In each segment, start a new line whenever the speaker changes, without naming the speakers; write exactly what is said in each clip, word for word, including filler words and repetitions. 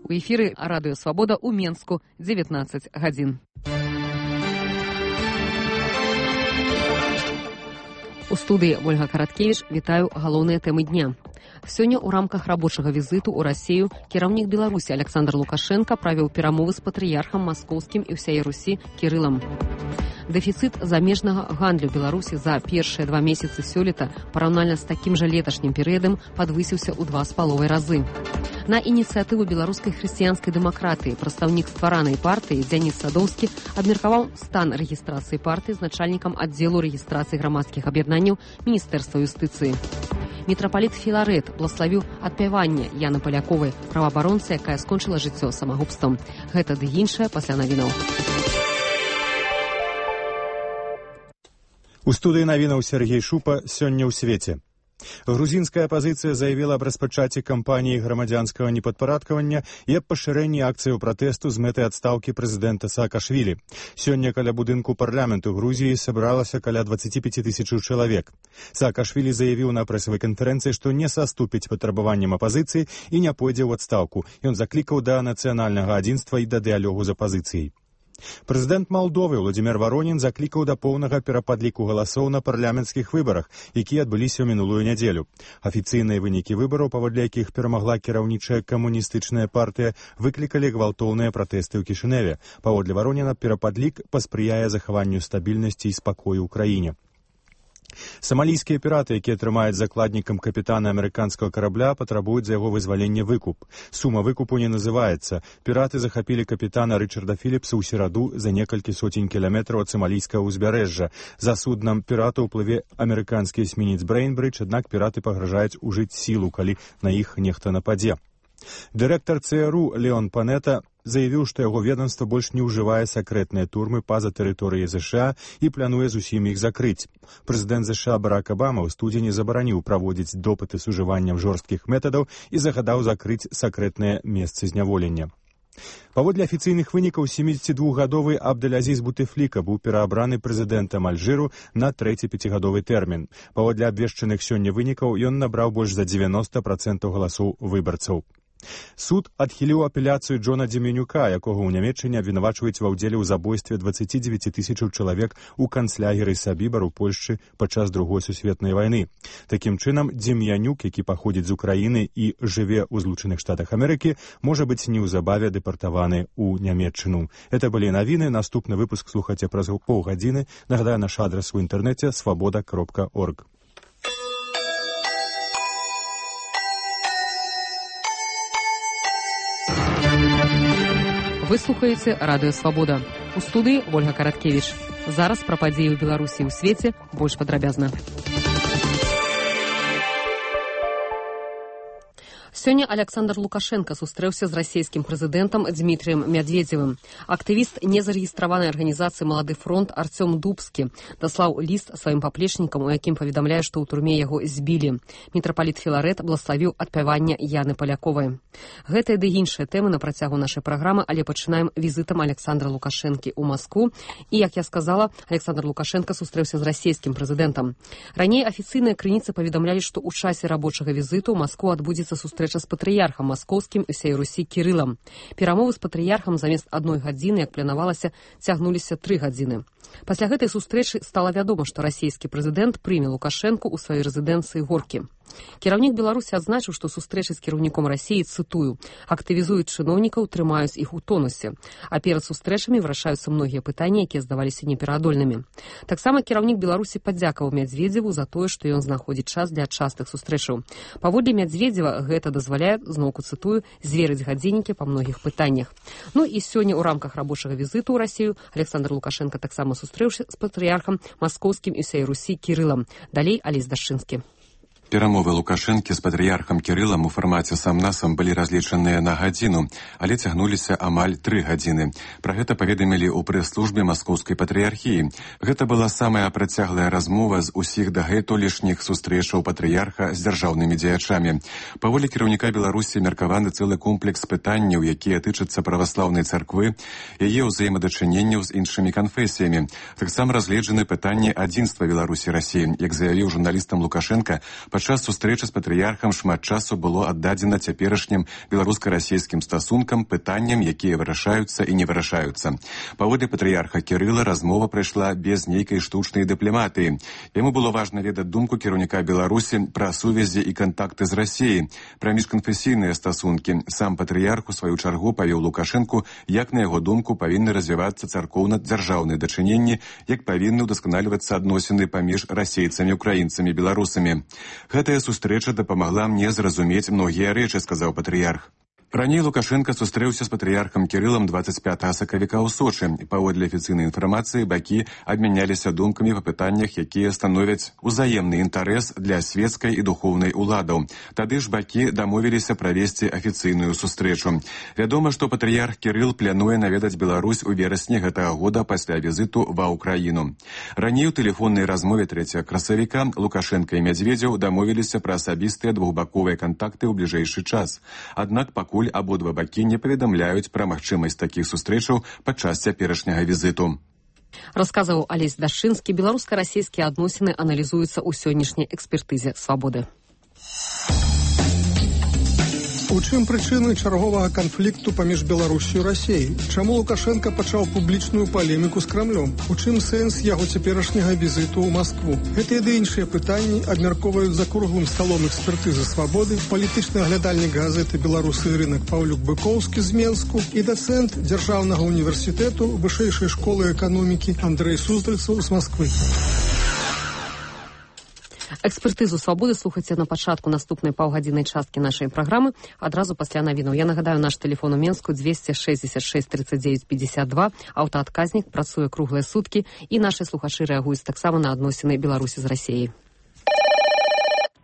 У эфіры Радыё Свабода ў Менску, дзевятнаццаць гадзін. У студыі Ольга Караткевіч, вітаю галоўныя тэмы дня. Сёння ў рамках рабочага візіту ў Расію кіраўнік Беларусі Александр Лукашенко правіў перамовы з патрыярхам маскоўскім і ўсяе Русі Кірылам. Дэфіцыт замежнага гандлю Беларусі за першыя два месяцы сёлета параўнальна з такім жа леташнім перыядам падвысіўся ў два з паловай разы. На ініцыятыву беларускай хрысціянскай дэмакратыі прадстаўнік стваранай партыі Дзяніс Садоўскі абмеркаваў стан рэгістрацыі партыі з начальнікам аддзелу рэгістрацыі грамадскіх аб'яднанняў Міністэрства юстыцыі. Мітрапаліт Філарэт блаславіў адпяванне Яны Паляковай, праваабаронцы, якая скончыла жыццё самагубствам. Гэта ды іншае пасля навінаў.
У студыі навінаў Сергей Шупа сёння ў свеце. Грузінская апазіцыя заявіла аб распачаці кампаніі грамадзянскага непадпарадкавання і аб пашырэнні акцыяў пратэсту з мэтай адстаўкі прэзідэнта Саакашвілі. Сёння каля будынку парламенту Грузіі сабралася каля дваццаць пяць тысячаў чалавек. Саакашвілі заявіў на прэсавай канферэнцыі, што не саступіць патрабаванням апазіцыі і не пойдзе ў адстаўку. Ён заклікаў да нацыянальнага адзінства і да дыялогу з апазіцыяй. Прэзідэнт Малдовы Владзімір Варонін заклікаў да поўнага перападліку галасоў на парламенцкіх выбарах, якія адбыліся ў мінулую нядзелю. Афіцыйныя вынікі выбараў, паводле якіх перамагла кіраўнічая камуністычная партыя, выклікалі гвалтоўныя пратэсты ў Кішыневе. Паводле Вароніна, перападлік паспрыяе захаванню стабільнасці і спакою ў краіне. Самалійскія піраты, якія трымаюць закладнікам капітана амерыканскага карабля, патрабуюць за яго вызвалення выкуп. Сума выкупу не называецца. Піраты захапілі капітана Рычарда Філіпса ў сераду за некалькі сотень кіламетраў ад самалійскага ўзбярэжжа. За суднам пірата ўплыве амерыканскі эсмінец Брейнбридж, аднак піраты пагражаюць ужыць сілу, калі на іх нехта нападзе. Дырэктар ЦРУ Леон Панета заявіў, што яго ведомства больш не ўжывае сакрэтныя турмы па-за тэрыторыяй ЗША і плануе зусім іх закрыць. Прэзідэнт ЗША Барак Абама ў студзені забараніў праводзіць допыты з ужываннем жорсткіх метадаў і загадаў закрыць сакрэтныя месцы зняволення. Паводле афіцыйных вынікаў, сямідзесятидвухгадовы Абдэль-Азіз Бутефліка быў пераабраны прэзідэнтам Альжыру на трэці пяцігадовы тэрмін. Паводле абвешчаных сёння вынікаў, ён набраў больш за дзевяноста працэнтаў галасоў выбарцаў. Суд адхіліў апеляцыю Джона Дземенюка, якога ў Нямецчыне абвінавачваюць ва ўдзеле ў забойстве дваццаці дзевяці тысячаў чалавек у канцлягеры Сабібар у Польшчы падчас другой сусветнай вайны. Такім чынам, Дзем'янюк, які паходзіць з Украіны і жыве ў Злучаных Штатах Амерыкі, можа быць неўзабаве дэпартаваны ў Нямецчыну. Это былі навіны. Наступны выпуск слухайце праз паўгадзіны. Нагадаю, наш адрас у інтэрнэце свабода кропка орг.
Вы слухаеце Радыё Свабода. У студыі Ольга Караткевіч. Зараз пра падзеі ў Беларусі і ў свеце больш падрабязна. Сёння Александр Лукашенко сустрэўся з расійскім прэзідэнтам Дмітрыем Мядведзевым. Актывіст незарэгістраванай арганізацыі «Малады фронт» Арцём Дубскі даслаў ліст сваім паплечнікам, у якім паведамляе, што ў турме яго збілі. Мітрапаліт Філарэт блаславіў адпяванне Яны Паляковай. Гэтыя ды іншыя тэмы на працягу нашай праграмы, але пачынаем візітам Александра Лукашэнкі ў Маскву. І, як я сказала, Александр Лукашенко сустрэўся з расійскім прэзідэнтам. Раней афіцыйныя крыніцы паведамлялі, што ў часе рабочага візіту ў Маскву адбудзецца сустрэча з патрыярхам маскоўскім і ўсяй Русі Кірылам. Перамовы з патрыярхам замест адной гадзіны, як планавалася, цягнуліся тры гадзіны. Пасля гэтай сустрэчы стала вядома, што расійскі прэзідэнт прыме Лукашэнку ў сваёй рэзідэнцыі Горкі. Кіраўнік Беларусі адзначыў, што сустрэчы з кіраўніком Расіі, цытую, актывізуюць чыноўнікаў, трымаюць іх у тонусе, а перад сустрэчамі вырашаюцца многія пытанні, якія здаваліся непераадольнымі. Таксама кіраўнік Беларусі падзякаваў Мядведзеву за тое, што ён знаходзіць час для частых сустрэчаў. Паводле Мядведзева гэта дазваляе, зноўку цытую, зверыць гадзіннікі па многіх пытаннях. Ну і сёння ў рамках рабочага візіту ў Расію Александр Лукашенко таксама сустрэўся з патрыярхам маскоўскім і ўсяй Русі Кірылам. Далей Алесь Дашчынскі.
Перамовы Лукашэнкі з патрыярхам Кірылам у фармаце сам-насам былі разлічаныя на гадзіну, але цягнуліся амаль тры гадзіны. Пра гэта паведамілі ў прэс-службе маскоўскай патрыярхіі. Гэта была самая працяглая размова з усіх дагэтулішніх сустрэчаў патрыярха з дзяржаўнымі дзеячамі. Паводле кіраўніка Беларусі меркаваны цэлы комплекс пытанняў, якія тычацца праваслаўнай царквы, яе ўзаемадачыненняў з іншымі канфесіямі. Таксама разгледжаны пытанні адзінства Беларусі і Расіі. Як заявіў журналістам Лукашенка, Падчас сустрэчы з патрыярхам шмат часу было аддадзена цяперашнім беларуска-расійскім стасункам, пытанням, якія вырашаюцца і не вырашаюцца. Паводле патрыярха Кірыла размова прайшла без нейкай штучнай дыпламатыі. Яму было важна ведаць думку кіраўніка Беларусі пра сувязі і кантакты з Расіяй, пра міжканфесійныя стасункі. Сам патрыярх у сваю чаргу павёў Лукашэнку, як на яго думку павінны развівацца царкоўна-дзяржаўныя дачыненні, як павінны ўдасканальвацца адносіны паміж расейцамі, украінцамі, беларусамі. Гэтая сустрэча дапамагла мне зразумець многія рэчы, сказаў патрыярх. Раней Лукашенко сустрэўся з патрыярхам Кірылам дваццаць пятага сакавіка ў Сочы. Паводле афіцыйнай інфармацыі, бакі абмяняліся думкамі па пытаннях, якія становяць узаемны інтарэс для свецкай і духоўнай уладаў. Тады ж бакі дамовіліся правесці афіцыйную сустрэчу. Вядома, што патрыярх Кірыл плануе наведаць Беларусь у верасні гэтага года пасля візіту ва ўкраіну. Раней у тэлефоннай размове трэцяга красавіка Лукашенко і Мядзведзеў дамовіліся пра асабістыя двухбаковыя кантакты ў бліжэйшы час. Аднак пакуль абодва бакі не паведамляюць пра магчымасць такіх сустрэчаў падчас цяперашняга візіту.
Расказваў Алесь Дашчынскі. Беларуска-расійскія адносіны аналізуюцца ў сённяшняй экспертызе «Свабоды».
У чым прычыны чарговага канфлікту паміж Беларусю і Расіяй? Чаму Лукашенко пачаў публічную палеміку з Крамлём? У чым сэнс яго цяперашняга візіту ў Маскву? Гэтыя ды іншыя пытанні абмяркоўваюць за круглым сталом экспертызы «Свабоды» палітычны аглядальнік газеты «Беларусы і рынак» Паўлюк Быкоўскі з Менску і дацэнт Дзяржаўнага універсітэту Вышэйшай школы эканомікі Андрэй Суздальцаў з Масквы.
Экспертызу «Свабоды» слухайце на пачатку наступнай паўгадзіннай часткі нашай праграмы, адразу пасля навінаў. Я нагадаю, наш тэлефон у Менску дзвесце шэсцьдзесят шэсць тридцать девять пятьдесят два, аўтаадказнік працуе круглыя суткі, і нашы слухачы рэагуюць таксама на адносіны Беларусі з Расіяй.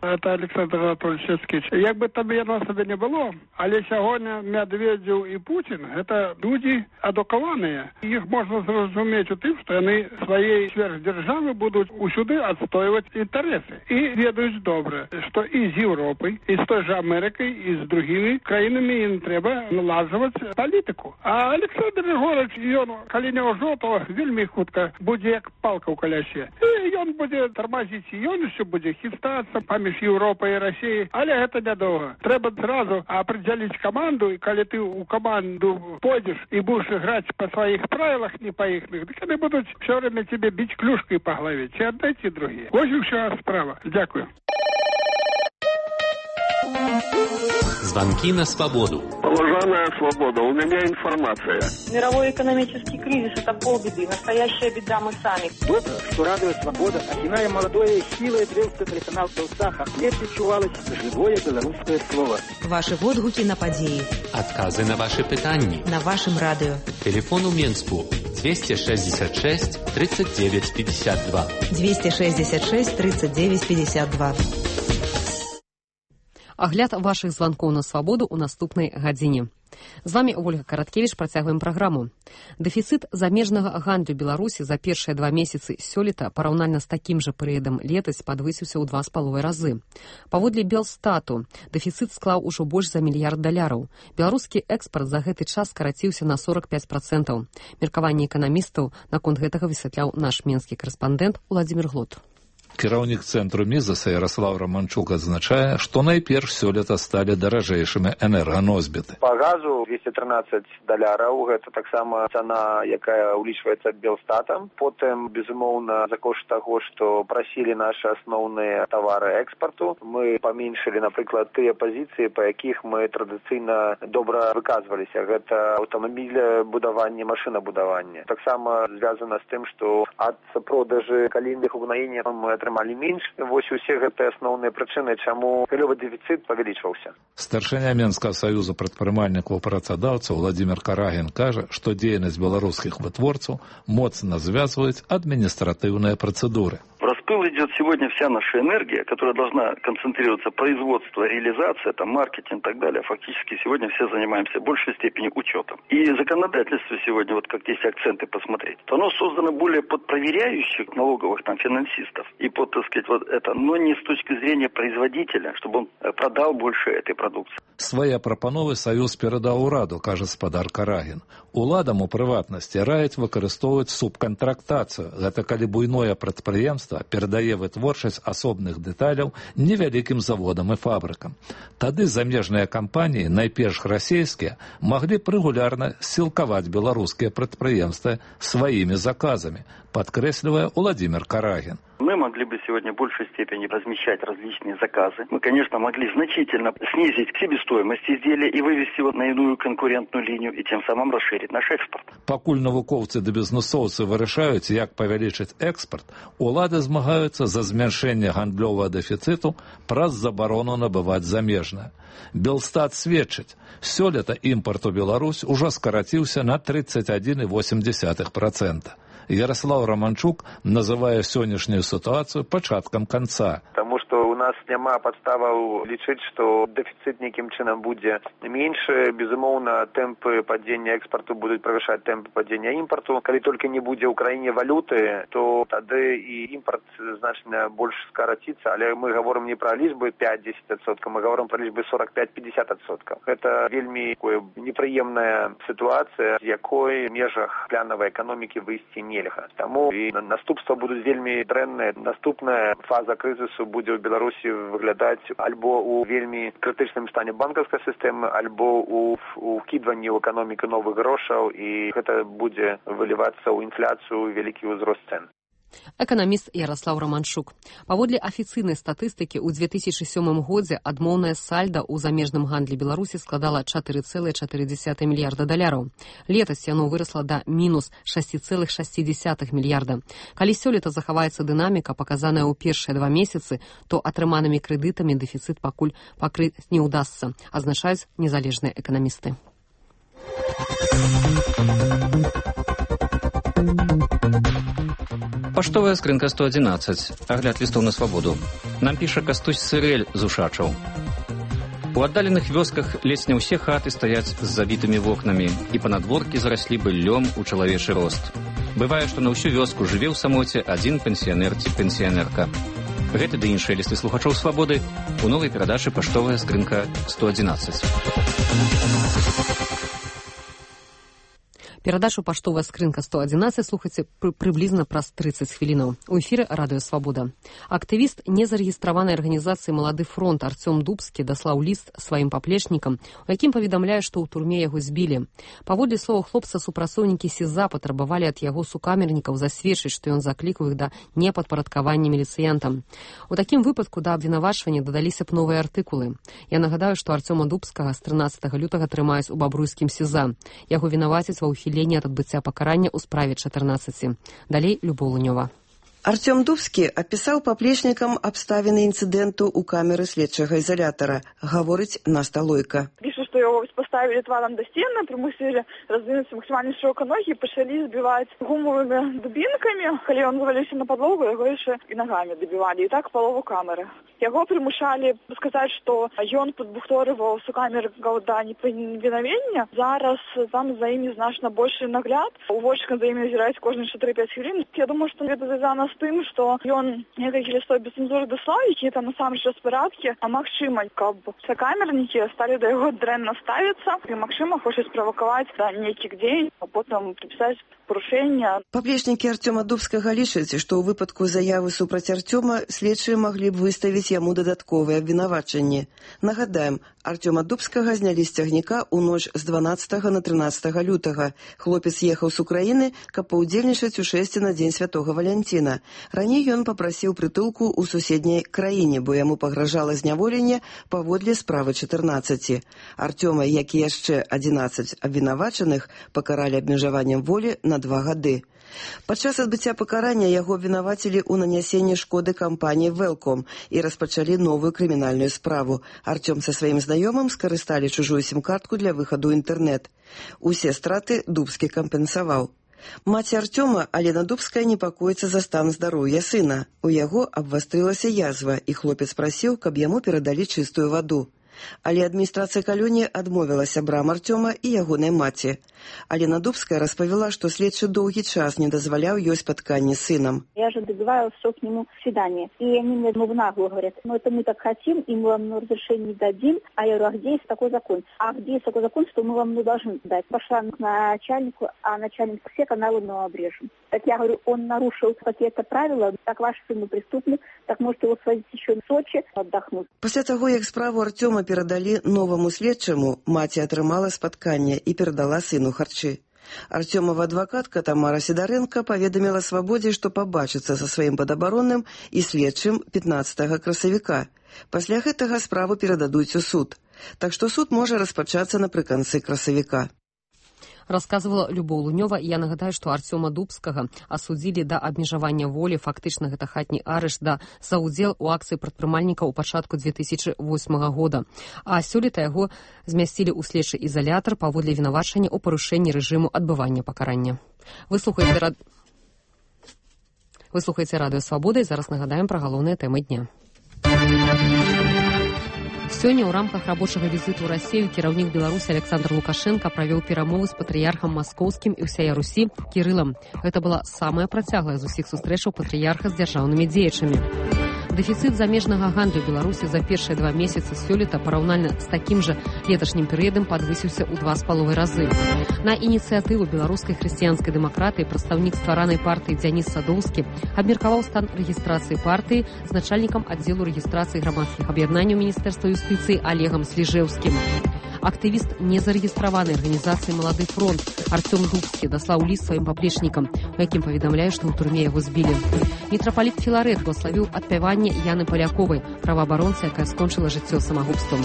Это Александр Анатольевич Скіч. Як би там яно себе не було, але сьогодні Медведєв і Путін – це люди адуковані. Їх можна зрозуміти у тим, що вони своєї сверхдержави будуть усюди відстоювати інтереси. І ведають добре, що і з Європою, і з той же Америкою, і з другими країнами їм треба налажувати політику. А Олександр Григорович, він, коли не ожотого, вельми хутко буде як палка у колясі. І він буде тормозити, і він ще буде хистатися поміж Європою і Росією, але це недовго. Треба зразу определити команду, і коли ти у команду пойдеш і будеш грати по своїх правилах, не по їхніх, так вони будуть все время тебе бити клюшкою по голові. Чи одне, чи друге. Ось і вся справа. Дякую.
Звонки на свободу.
Уважаемая «Свобода», у меня информация.
Мировой экономический кризис – это полбеды. Настоящая беда мы сами.
Добро, что радио «Свобода», окиная молодое силой древство телеканал «Белсаха», не відчувалось живое белорусское слово.
Ваши відгуки на події.
Отказы на ваши питання.
На вашем радио.
Телефон у Менску двести шестьдесят шесть тридцать девять пятьдесят два.
двести шестьдесят шесть тридцать девять пятьдесят два.
Агляд вашых званкоў на свабоду ў наступнай гадзіне. З вами Ольга Караткевіч, працягваем праграму. Дэфіцыт замежнага гандлю Беларусі за першыя два месяцы сёлета параўнальна з такім жа перыядам летась падвысіўся ў два з паловай разы. Паводле Белстату, дэфіцыт склаў ужо больш за мільярд даляраў. Беларускі экспарт за гэты час скараціўся на сорок пять процентаў. Меркаванне эканамістаў наконт гэтага высвятляў наш менскі карэспандэнт Уладзімір Глот.
Кіраўнік цэнтру Мізаса Ярослав Романчук адзначае, што найперш сёлета сталі даражэйшымі энерганосьбіты.
Па газу двести тринадцать даляраў, гэта таксама цана, якая ўлічваецца Белстатам. Потым, безумоўна, за кошт таго, што прасілі нашы асноўныя тавары экспарту, мы паменшылі, напрыклад, тыя пазіцыі, па якіх мы традыцыйна добра выказваліся. Гэта аўтамабілебудаванне, машынабудаванне. Таксама звязана з тым, што ад продажы калійных угнаенняў мы атрымалі менш. Вось усе гэтыя асноўныя прычыны, чаму галёвы дэфіцыт павялічваўся.
Старшыня Менскага саюза прадпрымальнікаў працадаўцаў Владзімір Карагін кажа, што дзейнасць беларускіх вытворцаў моцна звязваюць адміністратыўныя працэдуры.
В распыл идет сегодня вся наша энергия, которая должна концентрироваться производство, реализация, там, маркетинг и так далее. Фактически сегодня все занимаемся в большей степени учетом. И законодательство сегодня, вот как здесь акценты посмотреть, то оно создано более под проверяющих налоговых там финансистов и под, так сказать, вот это, но не с точки зрения производителя, чтобы он продал больше этой продукции.
Свае прапановы саюз перадаў ураду, кажа спадар Карагін. Уладам у прыватнасці раяць выкарыстоўваць субкантрактацыю. Гэта калі буйное прадпрыемства перадае вытворчасць асобных дэталяў невялікім заводам і фабрыкам. Тады замежныя кампаніі, найперш расійскія, маглі б рэгулярна сілкаваць беларускія прадпрыемствы сваімі заказамі, подкресливая Владимир Карагин.
Мы могли бы сегодня в большей степени размещать различные заказы. Мы, конечно, могли значительно снизить себестоимость изделия и вывести его на иную конкурентную линию и тем самым расширить наш экспорт.
Пакуль навукоўцы да бізнесоўцы вырашаюць, як павялічыць экспорт, улады змагаюцца за змяншэнне гандлёвага дэфіцыту праз забарону набываць замежнае. Белстат сведчыць, сёлета імпарт у Беларусь ужо скараціўся на тридцать один и восемь десятых процента. Ярослав Романчук называе сённяшнюю сітуацыю пачаткам канца.
Таму што у нас няма падставаў лічыць, што дэфіцыт нейкім чынам будзе меншы. Безумоўна, тэмпы падзення экспарту будуць правышаць тэмпы падзення імпарту. Калі толькі не будзе ў краіне валюты, то тады і імпарт значна больш скараціцца. Але мы гаворым не пра лічбы пять-десять адсоткаў, мы гаворым пра лічбы сорок пять-пятьдесят адсоткаў. Гэта вельмі такая непрыемная сітуацыя, з якой в межах планавай эканомікі выйсці не нельга. Таму і наступства будуць вельмі дрэнныя. Наступная фаза крызісу будзе ў Беларусі выглядаць альбо ў вельмі крытычным стане банкаўскай сістэмы, альбо ў ўкідванні ў эканоміку новых грошаў, і гэта будзе вылівацца ў інфляцыю, вялікі ўзрост цэн.
Эканаміст Ярослав Романчук. Паводле афіцыйнай статыстыкі, ў две тысячи сёмым годзе адмоўнае сальда ў замежным гандлі Беларусі складала чатыры цэлых чатыры дзесятых мільярда даляраў. Летась яно вырасла да мінус шэсць цэлых шэсць дзесятых мільярда. Калі сёлета захаваецца дынаміка, паказаная ў першыя два месяцы, то атрыманымі крэдытамі дэфіцыт пакуль пакрыць не ўдасца, азначаюць незалежныя эканамісты.
Паштовая скрынка сто одиннадцать. Агляд лістоў на свабоду. Нам піша Кастусь Сырэль з Ушачаў. У аддаленых вёсках ледзь не ўсе хаты стаяць з забітымі вокнамі, і панадворкі зараслі быллём у чалавечы рост. Бывае, што на ўсю вёску жыве ў самоце адзін пенсіянер ці пенсіянерка. Гэты ды іншыя лісты слухачоў свабоды у новай перадачы «Паштовая скрынка сто одиннадцать».
Перадачу «Паштовая скрынка сто одиннадцать» слухайце пры, прыблізна праз тридцать хвілінаў. У эфіры радыё «Свабода». Актывіст незарэгістраванай арганізацыі «Малады фронт» Арцём Дубскі даслаў ліст сваім паплечнікам, у якім паведамляе, што ў турме яго збілі. Паводле слова хлопца, супрацоўнікі СІЗА патрабавалі ад яго сукамернікаў засведчыць, што ён заклікаў іх да непадпарадкавання міліцыянтам. У такім выпадку да абвінавачвання дадаліся б новыя артыкулы. Я нагадаю, што Арцёма Дубскага з трынаццатага лютага трымаюць у бабруйскім СІЗА. Яго вінавацяць ва ўхіленні ад адбыцця пакарання ў справе чатырнаццаці. Далей Любоў Лунёва.
Арцём Дубскі апісаў паплечнікам абставіны інцыдэнту ў камеры следчага изолятора. Гаворыць Наста Лойка.
Пішу, што яго поставили тваром до стены, примусили раздвинуться максимально широко ноги и пошли сбивать гумовыми дубинками. Коли он завалился на подлогу, его еще и ногами добивали. И так полову камеры. Его примушали сказать, что он подбухторывал всю камеру до неповиновения. Зараз там за ими значно больше нагляд. Уводчик за ими озирается кожные четыре-пять хвилин. Я думаю, что это связано с тем, что он некие листой без цензуры дослал, какие-то на самом деле порядки, а Максима, как бы, сокамерники стали до его дренно ставиться, и Максима хочет спровоковать да, некий день, а потом приписать порушення.
Паплечнікі Арцёма Дубскага лічаць, што ў выпадку заявы супраць Арцёма следчыя маглі б выставіць яму дадатковыя абвінавачанні. Нагадаем, Арцёма Дубскага знялі з цягніка ў ноч з дванаццатага на трынаццатага лютага. Хлопец ехаў з Украіны, каб паўдзельнічаць у шэсці на дзень святога Валянціна. Раней ён папрасіў прытулку ў суседняй краіне, бо яму пагражала зняволенне паводле справы чатырнаццаці. Арцёма, як і яшчэ адзінаццаць абвінавачаных, пакаралі абмежаваннем волі на два гады. Падчас адбыцця пакарання яго абвінавацілі ў нанясенні шкоды кампаніі «Велком» і распачалі новую крымінальную справу. Арцём са сваім знаёмым скарысталі чужую сім-картку для выхаду ў інтэрнэт. Усе страты Дубскі кампенсаваў. Маці Арцёма, Алена Дубская, непакоіцца за стан здароўя сына. У яго абвастрылася язва, і хлопец прасіў, каб яму перадалі чыстую ваду. Але адміністрацыя калоніі адмовіла сябрам Артёма і ягонай маці. Алена Дубская распавяла, што следчы доўгі час не дазваляў ёй спатканне с сыном.
Я же добиваюсь, что к нему свидание. И они мне в наглую говорят, ну это мы так хотим, и мы вам разрешение не дадим. А я говорю, а где есть такой закон? А где есть такой закон, что мы вам не должны дать? Пошла к начальнику, а начальник все каналы мы обрежем. Так я говорю, он нарушил какие-то правила, так ваш сын преступник, так может его свозить еще в Сочи отдохнуть.
Пасля таго, як справу Артёма перадалі новаму следчаму, маці атрымала спатканне і перадала сыну харчы. Артёмова адвакатка Тамара Сідарэнка паведаміла Свабодзе, што пабачыцца са сваім падабаронным і следчым пятнаццатага красавіка. Пасля гэтага справу перададуць у суд. Так што суд можа распачацца напрыканцы красавіка.
Рассказывала Любоў Лунёва. Я нагадаю, што Артёма Дубскага асудзілі да абмежавання волі, фактычна гэта хатні арышт, да за ўдзел у акцыі прадпрымальніка ў пачатку две тысячи восьмага года. А сёлета яго змясцілі ў следчы ізалятар паводле вінавачання ў парушэнні рэжыму адбывання пакарання. Вы слухаеце, рад... Вы слухаеце радыё Свабода, і зараз нагадаем пра галоўныя тэмы дня. Сёння ў рамках рабочага візіту ў Расію кіраўнік Беларусі Александр Лукашенко правёў перамовы з патрыярхам маскоўскім і ўсяя Русі Кірылам. Гэта была самая працяглая з усіх сустрэчаў патрыярха з дзяржаўнымі дзеячамі. Дэфіцыт замежнага гандлю Беларусі за першыя два месяцы сёлета параўнальна з такім жа леташнім перыядам падвысіўся ў два з паловай разы. На ініцыятыву беларускай хрысціянскай дэмакратыі прадстаўнік стваранай партыі Дзяніс Садоўскі абмеркаваў стан рэгістрацыі партыі з начальнікам аддзелу рэгістрацыі грамадскіх аб'яднанняў Міністэрства юстыцыі Олегам Сліжэўскім. Актывіст незарэгістраванай арганізацыі «Малады фронт» Артём Дубскі даслаў ліст сваім паплечнікам, у якім паведамляе, што ў турме яго збілі. Мітрапаліт Філарэт блаславіў адпяванне Яны Паляковай, праваабаронцы, якая скончыла жыццё самагубствам.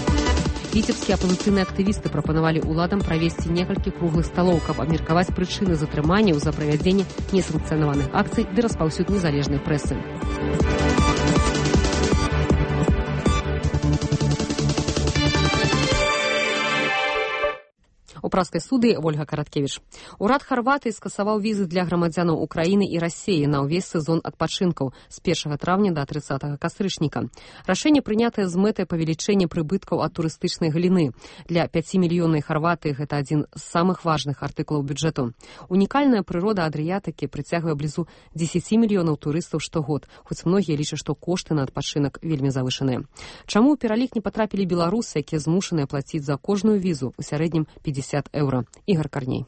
Віцебскія апазіцыйныя актывісты прапанавалі ўладам правесці некалькі круглых сталоў, каб абмеркаваць прычыны затрыманняў за правядзенне несанкцыянаваных акцый ды распаўсюд незалежнай прэсы. У праскай суды Ольга Караткевіч. Урад Харватыі скасаваў візы для грамадзянаў Украіны і Расіі на ўвесь сезон адпачынкаў з першага траўня да трыццатага кастрычніка. Рашэнне прынятае з мэтай павелічэння прыбыткаў ад турыстычнай галіны. Для пяцімільённай Харватыі гэта адзін з самых важных артыклаў бюджэту. Унікальная прырода Адрыятыкі прыцягвае блізу дзесяці мільёнаў турыстаў штогод, хоць многія лічаць, што кошты на адпачынак вельмі завышаныя. Чаму ў пералік не патрапілі беларусы, якія змушаныя плаціць за кожную візу у сярэднім пятьдесят еўра? Ігор Карней.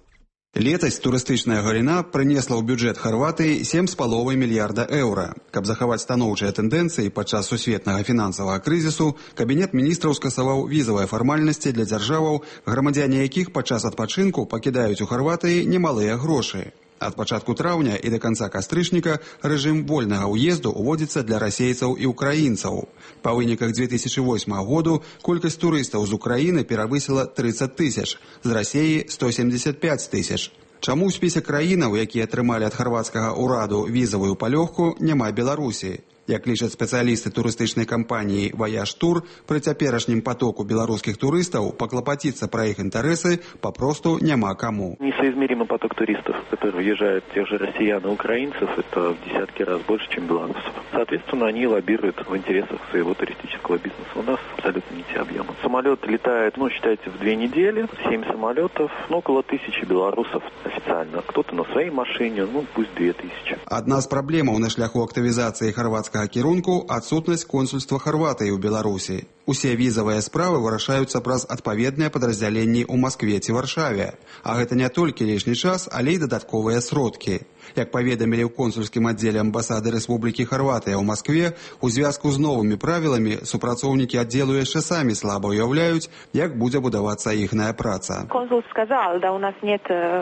Летась турыстычная галіна прынесла ў бюджэт Харватыі сем з паловай мільярда еўра. Каб захаваць станоўчыя тэндэнцыі падчас сусветнага фінансавага крызісу, кабінет міністраў скасаваў візавыя фармальнасці для дзяржаваў, грамадзяне якіх падчас адпачынку пакідаюць у Харватыі немалыя грошы. Ад пачатку траўня і да канца кастрычніка рэжым вольнага ўезду ўводзіцца для расейцаў і ўкраінцаў. Па выніках две тысячи восьмага году колькасць турыстаў з Украіны перавысіла трыццаць тысяч, з Расіі сто семьдесят пять тысяч. Чаму ў спісе краінаў, якія атрымалі ад харвацкага ўраду візавую палёгку, няма Беларусі? Як лічаць спецыялісты турыстычнай кампаніі «Ваяж Тур», пры цяперашнім потоку беларускіх турыстаў паклапаціцца пра іх інтарэсы папросту няма каму.
Несоизмеримый поток туристов, которые уезжают тех же россиян и украинцев, это в десятки раз больше, чем белорусов. Соответственно, они лоббируют в интересах своего туристического бизнеса. У нас абсолютно не те объемы. Самолет летает, ну, считайте, в две недели, семь самолетов, ну, около тысячи белорусов официально. Кто-то на своей машине, ну, пусть две тысячи.
Одна з праблемаў на шляху актывізацыі харвацкага кірунку – адсутнасць консульства Харватыі ў Беларусі. Усе візавыя справы вырашаюцца праз адпаведныя падраздзяленні ў Маскве ці Варшаве. А гэта не толькі лішні час, але і дадатковыя сродкі. Як паведамілі ў консульскім аддзеле амбасады Рэспублікі Харватыя ў Маскве, у звязку з новымі правіламі супрацоўнікі аддзелу яшчэ самі слаба уяўляюць, як будзе будавацца іхная праца.
Консул сказал, да у нас нет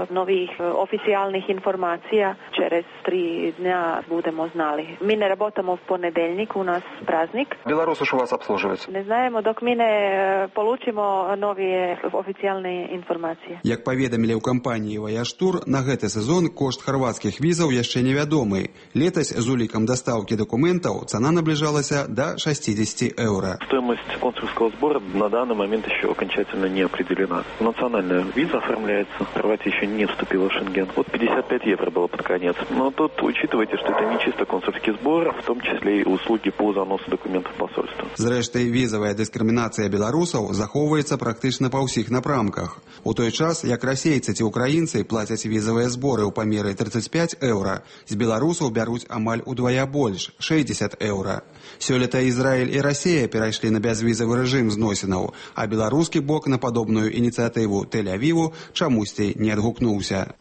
новых официальных информаций, через три дня будем знали. Мы не работаем в понедельник, у нас праздник.
Белорусы ж у вас обслуживают?
Не знаем, док мы не получим новые официальные информации.
Як паведамілі ў кампаніі «Ваяж Тур», на гэты сезон кошт харвацкіх беларускіх візаў яшчэ невядомы. Летась з улікам дастаўкі дакументаў цана наближалася до шестьдесят евро.
Стоимость консульского сбора на данный момент еще окончательно не определена. Национальная виза оформляется, Хорватия еще не вступила в Шенген. Вот пятьдесят пять евро было под конец. Но тут учитывайте, что это не чисто консульский сбор, в том числе и услуги по заносу документов посольства.
Зрэшты, візавая дыскрымінацыя беларусаў захоўваецца практычна па ўсіх напрамках. У той час, як расейцы ці украінцы плацяць візавыя зборы ў памеры тридцать пять евро, з беларусаў бяруць амаль удвая больш – шестьдесят евро. Сёлета Ізраіль і Расія перайшлі на бязвізавы рэжым зносінаў, а беларускі бок на падобную ініцыятыву Тель-Авіву чамусьці не адгукнуўся.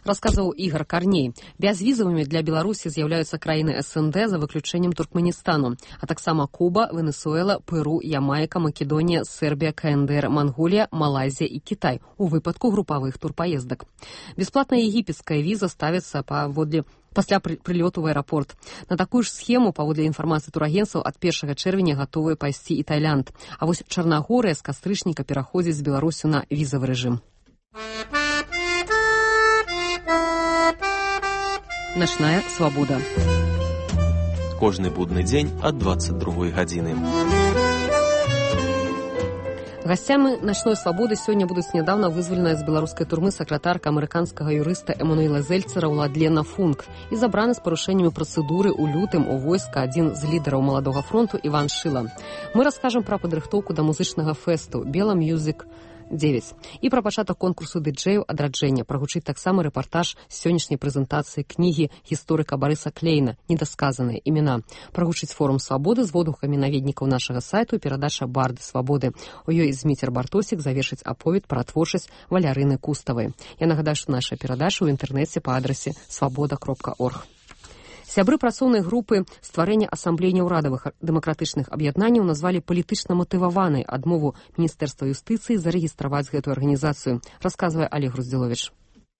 Расказваў Ігор Карней. Бязвізавымі для Беларусі з'яўляюцца краіны эс эн дэ за выключэннем Туркменістану, а таксама Куба, Венесуэла, Перу, Ямайка, Македонія, Сербія, ка эн дэ эр, Манголія, Малайзія і Кітай у выпадку групавых турпаездак. Бясплатная егіпецкая віза ставіцца паводле пасля прылёту ў аэрапорт. На такую ж схему, паводле інфармацыі турагенцаў, ад першага чэрвеня гатовыя пайсці і Тайлянд. А вось Чарнагорыя з кастрычніка пераходзіць з Беларусю на візавы рэжым. Начная свабода.
Кожны будны дзень ад двадцать другой гадзіны.
Гасцямі начной свабоды сёння будуць нядаўна вызваленая з беларускай турмы сакратарка амерыканскага юрыста Эмануэла Зельцера Уладлена Функ і забраны з парушэннямі працэдуры ў лютым у войска адзін з лідараў маладога фронту Іван Шыла. Мы раскажам пра падрыхтоўку да музычнага фэсту «Бела Мьюзік девять» і пра пачатак конкурсу дыджэяў адраджэння. Прагучыць таксама рэпартаж з сённяшняй прэзентацыі кнігі гісторыка Барыса Клейна «Недасказаныя імена». Прагучыць форум свабоды з водгукамі наведнікаў нашага сайту і перадача «Барды свабоды». У ёй Зміцер Бартосік завершыць аповед пра творчасць Валярыны Куставай. Я нагадаю, што наша перадача ў інтэрнэце па адрасе свабода кропка орг. Сябры працоўнай групы стварэння асамблеі няўрадавых дэмакратычных аб'яднанняў назвалі палітычна матываванай адмову Міністэрства юстыцыі зарэгістраваць гэтую арганізацыю, расказвае Олег Груздзіловіч.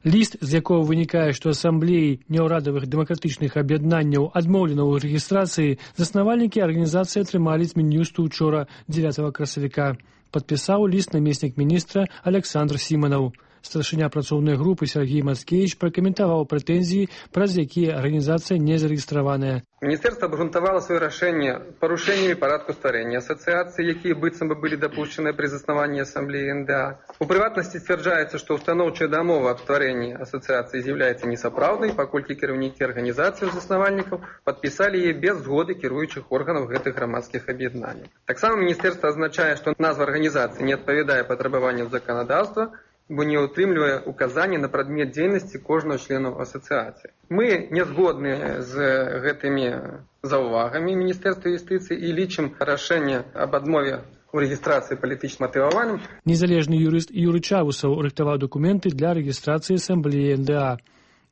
Ліст, з якого вынікае, што асамблеі няўрадавых дэмакратычных аб'яднанняў адмоўлена ў рэгістрацыі, заснавальнікі арганізацыі атрымалі з Мін'юсту ўчора дзевятага красавіка. Падпісаў ліст намеснік міністра Александр Сіманаў. Старшыня працоўнай групы Сергей Мацкевич пракаментаваў прэтэнзіі, праз якія арганізацыя не зарэгістраваная.
Міністэрства абгрунтавала сваё рашэнне парушэннямі парадку стварэння асацыяцыі, якія быццам бы былі дапушчаныя пры заснаванні асамблеі эн дэ а. У прыватнасці сцвярджаецца, што устаноўчая дамова аб стварэнні асацыяцыі з'яўляецца несапраўднай, паколькі кіраўнікі арганізацыі заснавальнікаў падпісалі яе без згоды кіруючых органаў гэтых грамадскіх аб'яднанняў. Таксама міністэрства азначае, што назва арганізацыі не адпавядае патрабаванням заканадаўства, бо не ўтрымлівае указанні на прадмет дзейнасці кожнага члену асацыяцыі. Мы не згодны з гэтымі заўвагамі Міністэрства юстыцыі і лічым рашэнне аб адмове у рэгістрацыі палітычна матываваным.
Незалежны юрыст Юры Чавусаў рыхтаваў дакументы для рэгістрацыі асамблеі эн дэ а.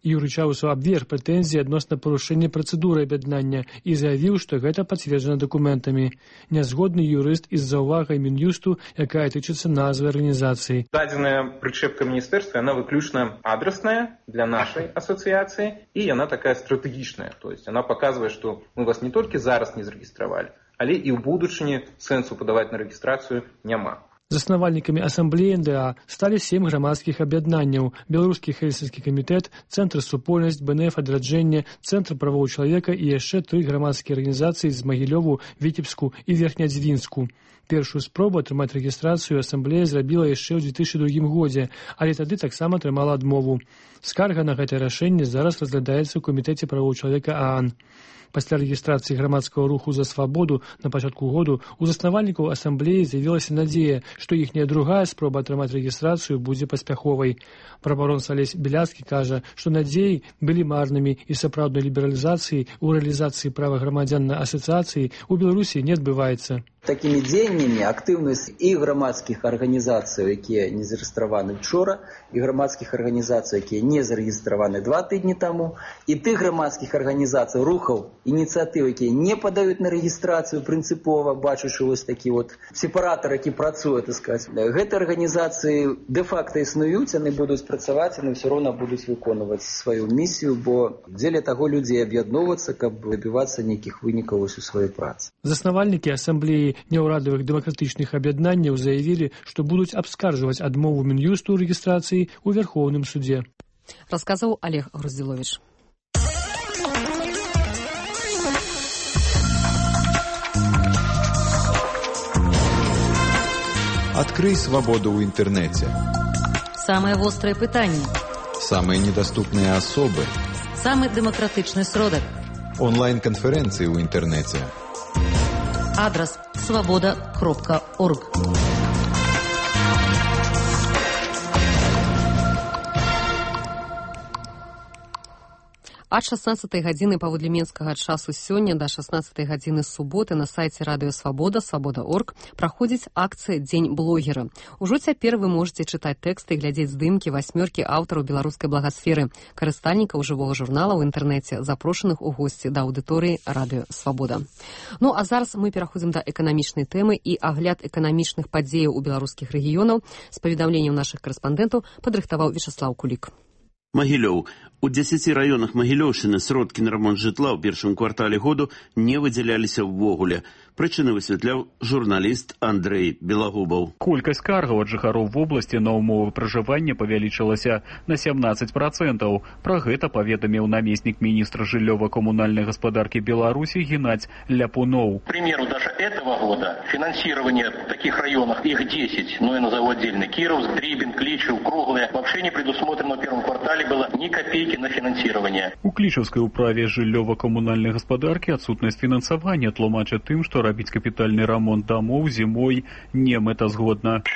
Юры Чавусаў абверг прэтэнзіі адносна парушэння працэдуры аб'яднання і заявіў, што гэта пацверджана дакументамі. Нязгодны юрыст і з заўвагай Мін'юсту, якая тычыцца назвы арганізацыі.
Дадзеная прычэпка міністэрства, яна выключна адрасная для нашай асацыяцыі і яна такая стратэгічная. То есть она паказвае, што мы вас не толькі зараз не зарэгістравалі, але і ў будучыні сэнсу падаваць на рэгістрацыю няма.
Заснавальнікамі асамблеі эн дэ а сталі сем грамадскіх аб'яднанняў: Беларускі хельсінскі камітэт, Цэнтр супольнасць, бэ эн эф адраджэнне, Цэнтр правоў чалавека і яшчэ тры грамадскія арганізацыі з Магілёву, Віцебску і Верхнядзвінску. Першую спробу атрымаць рэгістрацыю асамблея зрабіла яшчэ ў две тысячы другім годзе, але тады таксама атрымала адмову. Скарга на гэтае рашэнне зараз разглядаецца ў камітэце правоў чалавека а ан. Пасля рэгістрацыі грамадскага руху за свабоду на пачатку году у заснавальнікаў асамблеі з'явілася надзея, што іхняя другая спроба атрымаць рэгістрацыю будзе паспяховай. Прабаронца Алесь Беляцкі кажа, што надзеі былі марнымі і сапраўднай лібералізацыі ў рэалізацыі права грамадзян на асацыяцыі ў Беларусі не адбываецца.
Такімі дзеяннямі актыўнасць і грамадскіх арганізацый, якія не зарэгістраваны вчора, і грамадскіх арганізацый, якія не зарэгістраваны два тыдні таму, і тых грамадскіх арганізацый, рухаў, ініцыятыў, якія не падаюць на рэгістрацыю прынцыпова, бачачы вось такі вот сепаратар, які працуе, так сказаць. Гэтыя арганізацыі дэ-факта існуюць, яны будуць працаваць, яны ўсё роўна будуць выконваць сваю місію, бо дзеля таго людзей аб'ядноўвацца, каб дабівацца нейкіх вынікаў у сваёй працы.
Заснавальнікі асамблеі няўрадавых дэмакратычных аб'яднанняў заявілі, што будуць абскарджваць адмову Мін'юсту ў рэгістрацыі ў Вярхоўным судзе.
Расказаў Олег Груздзіловіч.
Открый свободу в интернете.
Самые острые пытания.
Самые недоступные особы.
Самый демократичный сродок.
Онлайн-конференции в интернете.
Адрес свобода кропка орг.
Ад шаснаццатай гадзіны паводле менскага часу сёння да шаснаццатай гадзіны суботы на сайце радыё Свабода, свабода точка орг праходзіць акцыя «Дзень блогера». Ужо цяпер вы можете чытаць тэксты і глядзець здымкі васьмёркі аўтараў беларускай благасферы, карыстальнікаў жывога журнала ў інтэрнэце, запрошаных у госці да аўдыторыі радыё Свабода. Ну а зараз мы пераходзім да эканамічнай тэмы, і агляд эканамічных падзеяў у беларускіх рэгіёнаў з паведамленняў нашых карэспандэнтаў падрыхтаваў Вячаслаў Кулік.
Магілёў. У дзесяці раёнах Магілёўшчыны сродкі на рамонт жытла ў першым квартале году не выдзяляліся ўвогуле. Прычыны высвятляў журналіст Андрэй Белагубаў.
Колькасць скаргаў ад жыхароў вобласці на ўмовы пражывання павялічылася на сямнаццаць працэнтаў. Пра гэта паведаміў намеснік міністра жыллёва-камунальнай гаспадаркі Беларусі Геннадзь Ляпуноў.
К примеру, даже этого года финансирование в таких районах, их десять, но я назову отдельно, Кировск, Дрибин, Кличев, Круглое, вообще не предусмотрено в первом квартале было ни копейки на финансирование.
У Клічаўскай управе жыллёва-камунальнай гаспадаркі адсутнасць фінансавання тлумачаць тым, што рабіць капітальны рамонт домоў зімой не мэтазгодна.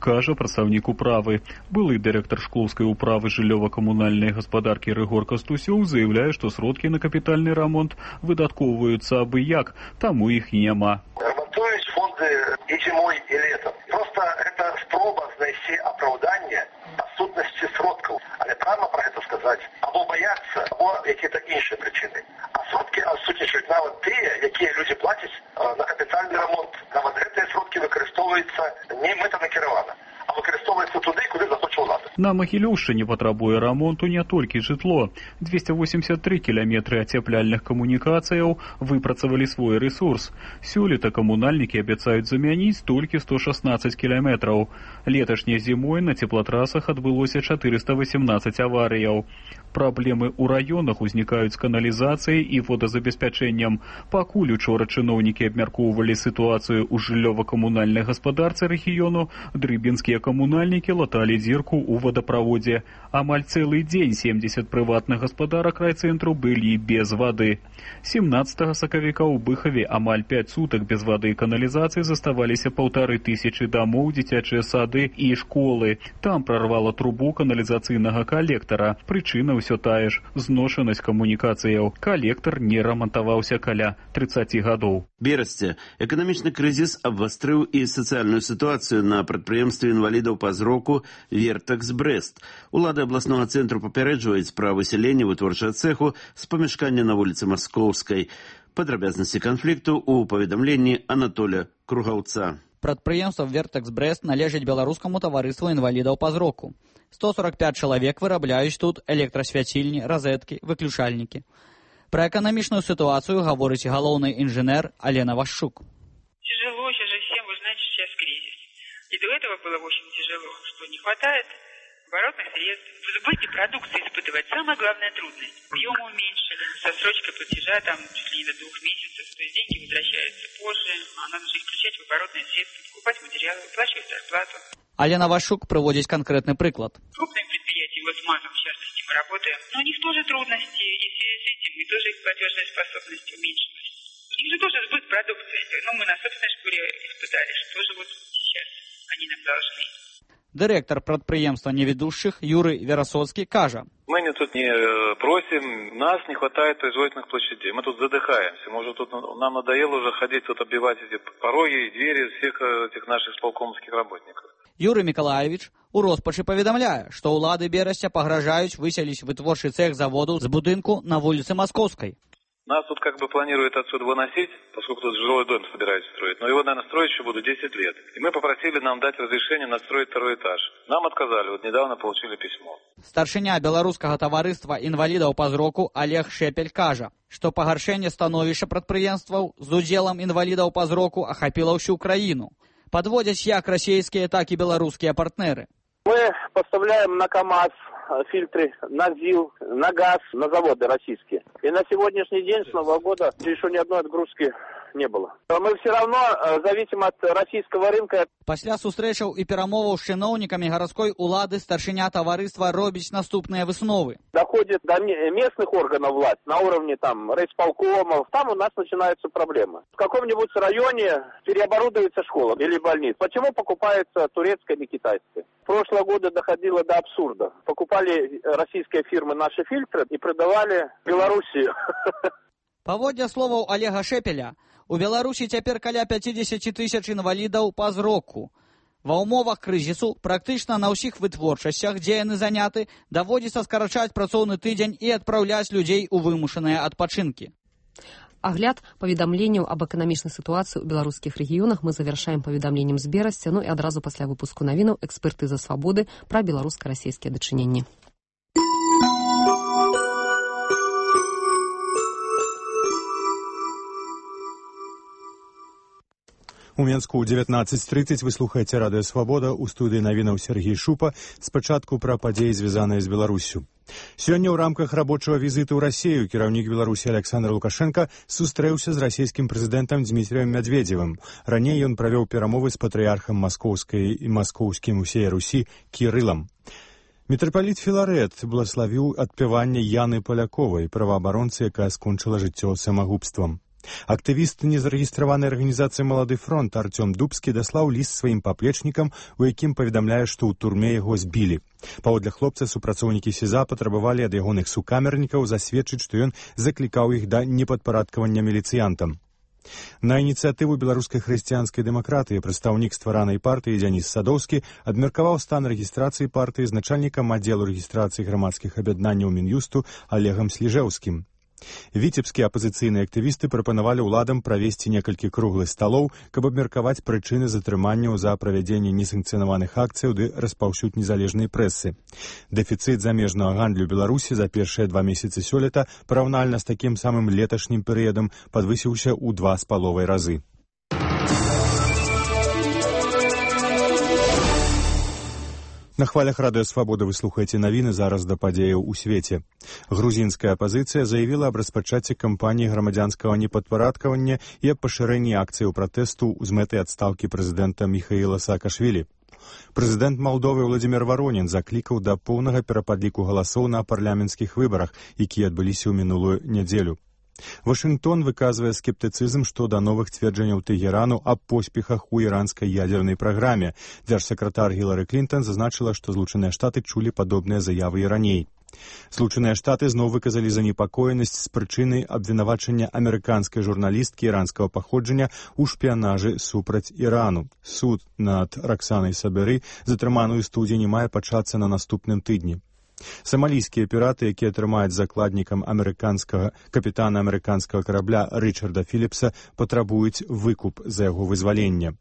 Кажа прадстаўнік управы. Былы дырэктар шклоўскай управы жыллёва-камунальнай гаспадаркі Рыгор Кастусёў заяўляе, што сродкі на капітальны рамонт выдаткоўваюцца абы як, таму іх няма.
Ремонтуюць фонды і зімой, і летом. Просто это спроба знайсці апраўданне адсутнасці сродкаў. Але прямо про гэта сказаць або баяцца, або якія-то іншыя прычыны. А сродкі адсутнічаюць нават тыя, якія людзі плацяць на капітальны рамонт. Нават гэтыя сродкі выкарыстоўваюцца не мэтанакіравана, а выкарыстоўваецца туды, куды захоча ўлада.
На Магілёўшчыне патрабуе рамонту не толькі жытло. дзвесце восемьдесят три кіламетры ацяпляльных камунікацыяў выпрацавалі свой рэсурс. Сёлета камунальнікі абяцаюць замяніць толькі сто шаснаццаць кіламетраў. Леташняй зімой на цеплатрасах адбылося чатырыста васемнаццаць аварыяў. Праблемы ў раёнах узнікаюць з каналізацыяй і водазабеспячэннем. Пакуль учора чыноўнікі абмяркоўвалі сітуацыю ў жыллёва-камунальнай гаспадарцы рэгіёну, дрыбінскія камунальнікі латалі дзірку ў водаправодзе. Амаль цэлы дзень семьдесят прыватных гаспадарак райцэнтру былі без вады. семнаццатага сакавіка ў Быхаве амаль пяць сутак без вады і каналізацыі заставаліся паўтары тысячы дамоў, дзіцячыя сады і школы. Там прарвала трубу каналізацыйнага калектара. Прычына ўсё тая ж – зношанасць камунікацыяў. Калектар не рамантаваўся каля трыццаці гадоў.
Берасці. Эканамічны крызіс абвастрыў і сацыяльную сітуацыю на прадпрыемстве інвалідаў па зроку «Вертакс Брэст». Улады абласнога цэнтру папярэджваюць пра высяленне вытворчага цэху з памяшкання на вуліцы Маскоўскай. Падрабязнасці канфлікту ў паведамленні Анатоля Кругаўца.
Прадпрыемства «Вертакс Брэст» належыць беларускаму таварыству інвалідаў па зроку. сто сорок пять чалавек вырабляюць тут электрасвяцільні, розеткі, выключальнікі. Пра эканамічную ситуацию гаворыць галоўны инженер Алена Вашчук.
Тяжело сейчас же всем, вы знаете, сейчас кризис. И до этого было очень тяжело, что не хватает оборотных средств. В сбыте продукции испытывать самая главная трудность. Объем уменьшили, со срочкой платежа там чуть ли не до двух месяцев, то есть деньги возвращаются позже, а надо же их включать в оборотные средства, покупать материалы, выплачивать зарплату.
Алена Вашчук приводит конкретный приклад.
Крупные предприятия, вот с МАЗом, в частности, мы работаем, но у них тоже трудности, и в связи с этим и тоже их платежная способность уменьшилась. У них же тоже сбыт продукции, ну мы на собственной шкуре испытали, что же вот сейчас они нам должны.
Директор предприемства неведущих Юрий Веросоцкий кажа.
Мы не тут не просим, нас не хватает производительных площадей. Мы тут задыхаемся. Может, тут нам надоело уже ходить тут оббивать эти пороги и двери всех этих наших сполкомских работников.
Юрий Миколаевич у розпачы паведамляе, што ўлады Берасця пагражаюць выселіць вытворчы цех заводу з будынку на вуліцы Маскоўскай.
Нас тут как бы планируют отсюда выносить, поскольку тут жилой дом собираются строить. Но его, наверное, строить еще будут десять лет. И мы попросили нам дать разрешение настроить второй этаж. Нам отказали. Вот недавно получили письмо.
Старшыня беларускага таварыства інвалідаў па зроку Олег Шепель кажа, што пагаршэнне становішча прадпрыемстваў з удзелам інвалідаў па зроку ахапіла ўсю краіну. Подводяць як расійскія, так і беларускія партнеры.
Мы поставляем на КАМАЗ фильтры, на ЗИЛ, на газ, на заводы российские. И на сегодняшний день с Нового года еще ни одной отгрузки не было. Мы все равно зависим от российского рынка.
Пасля сустрэчаў і перамоваў з чыноўнікамі гарадской улады старшыня таварыства робіць наступныя высновы.
Доходит до местных органов власти на уровне там райисполкомов. Там у нас начинаются проблемы. В каком-нибудь районе переоборудуется школа или больница. Почему покупается турецкая или китайская? Прошлого года доходило до абсурда. Покупали российские фирмы наши фильтры и продавали Белоруссию.
Паводле словаў Олега Шепеля, у Беларусі цяпер каля пяцьдзесят тысяч інвалідаў па зроку. Ва ўмовах крызісу практычна на ўсіх вытворчасцях, дзе яны заняты, даводзіцца скарачаць працоўны тыдзень і адпраўляць людзей у вымушаныя адпачынкі.
Агляд паведамленняў аб эканамічнай сітуацыі ў беларускіх рэгіёнах мы завяршаем паведамленнем з берасця, ну і адразу пасля выпуску навінаў экспертыза свабоды пра беларуска-расійскія дачыненні.
У Менску ў дзевятнаццаць трыццаць вы слухаеце радыё «Свабода», у студыі навінаў Сергей Шупа. Спачатку пра падзеі, звязаныя з Беларуссю. Сёння ў рамках рабочага візіту ў Расію кіраўнік Беларусі Александр Лукашенко сустрэўся з расійскім прэзідэнтам Дмітрыем Мядведзевым. Раней ён правёў перамовы з патрыярхам маскоўскай і маскоўскім усей Русі Кірылам. Мітрапаліт Філарэт благаславіў адпяванне Яны Паляковай, праваабаронцы, якая скончыла жыццё самагубствам. Актывіст незарэгістраванай арганізацыі «Малады фронт» Артём Дубскі даслаў ліст сваім паплечнікам, у якім паведамляе, што ў турме яго збілі. Паводле хлопца супрацоўнікі СІЗА патрабавалі ад ягоных сукамернікаў засведчыць, што ён заклікаў іх да непадпарадкавання міліцыянтам. На ініцыятыву беларускай хрысціянскай дэмакратыі прадстаўнік стваранай партыі Дзяніс Садоўскі абмеркаваў стан рэгістрацыі партыі з начальнікам аддзелу рэгістрацыі грамадскіх аб'яднанняў Мін'юсту Олегам Сліжэўскім. Віцебскія апазіцыйныя актывісты прапанавалі ўладам правесці некалькі круглых сталоў, каб абмеркаваць прычыны затрыманняў за правядзенне несанкцыянаваных акцыяў ды распаўсюд незалежнай прэсы. Дэфіцыт замежнага гандлю Беларусі за першыя два месяцы сёлета параўнальна з такім самым леташнім перыядам падвысіўся ў два з паловай разы. На хвалях радыё «Свабода» вы слухаеце навіны зараз да падзеяў у свеце. Грузінская апазіцыя заявіла аб распачацці кампаніі грамадзянскага непадпарадкавання і аб пашырэнні акцыяў пратэсту з мэтай адстаўкі прэзідэнта Міхаіла Саакашвілі. Прэзідэнт Малдовы Владзімір Варонін заклікаў да поўнага перападліку галасоў на парламенцкіх выбарах, якія адбыліся ў минулую нядзелю. Вашынгтон выказвае скептыцызм што да новых цверджанняў Тэгерану аб поспехах у іранскай ядзернай праграме. Дзяржсакратар Гілары Клінтон зазначыла, што Злучаныя Штаты чулі падобныя заявы і раней. Злучаныя Штаты зноў выказалі занепакоенасць з прычыны абвінавачання амерыканскай журналісткі іранскага паходжання ў шпіянажы супраць Ірану. Суд над Раксанай Саберы, затрыманую ў студзені, мае пачацца на наступным тыдні. Самалійскія піраты, якія трымаюць закладнікам амерыканскага капітана амерыканскага карабля Рычарда Філіпса, патрабуюць выкуп за яго вызваленне.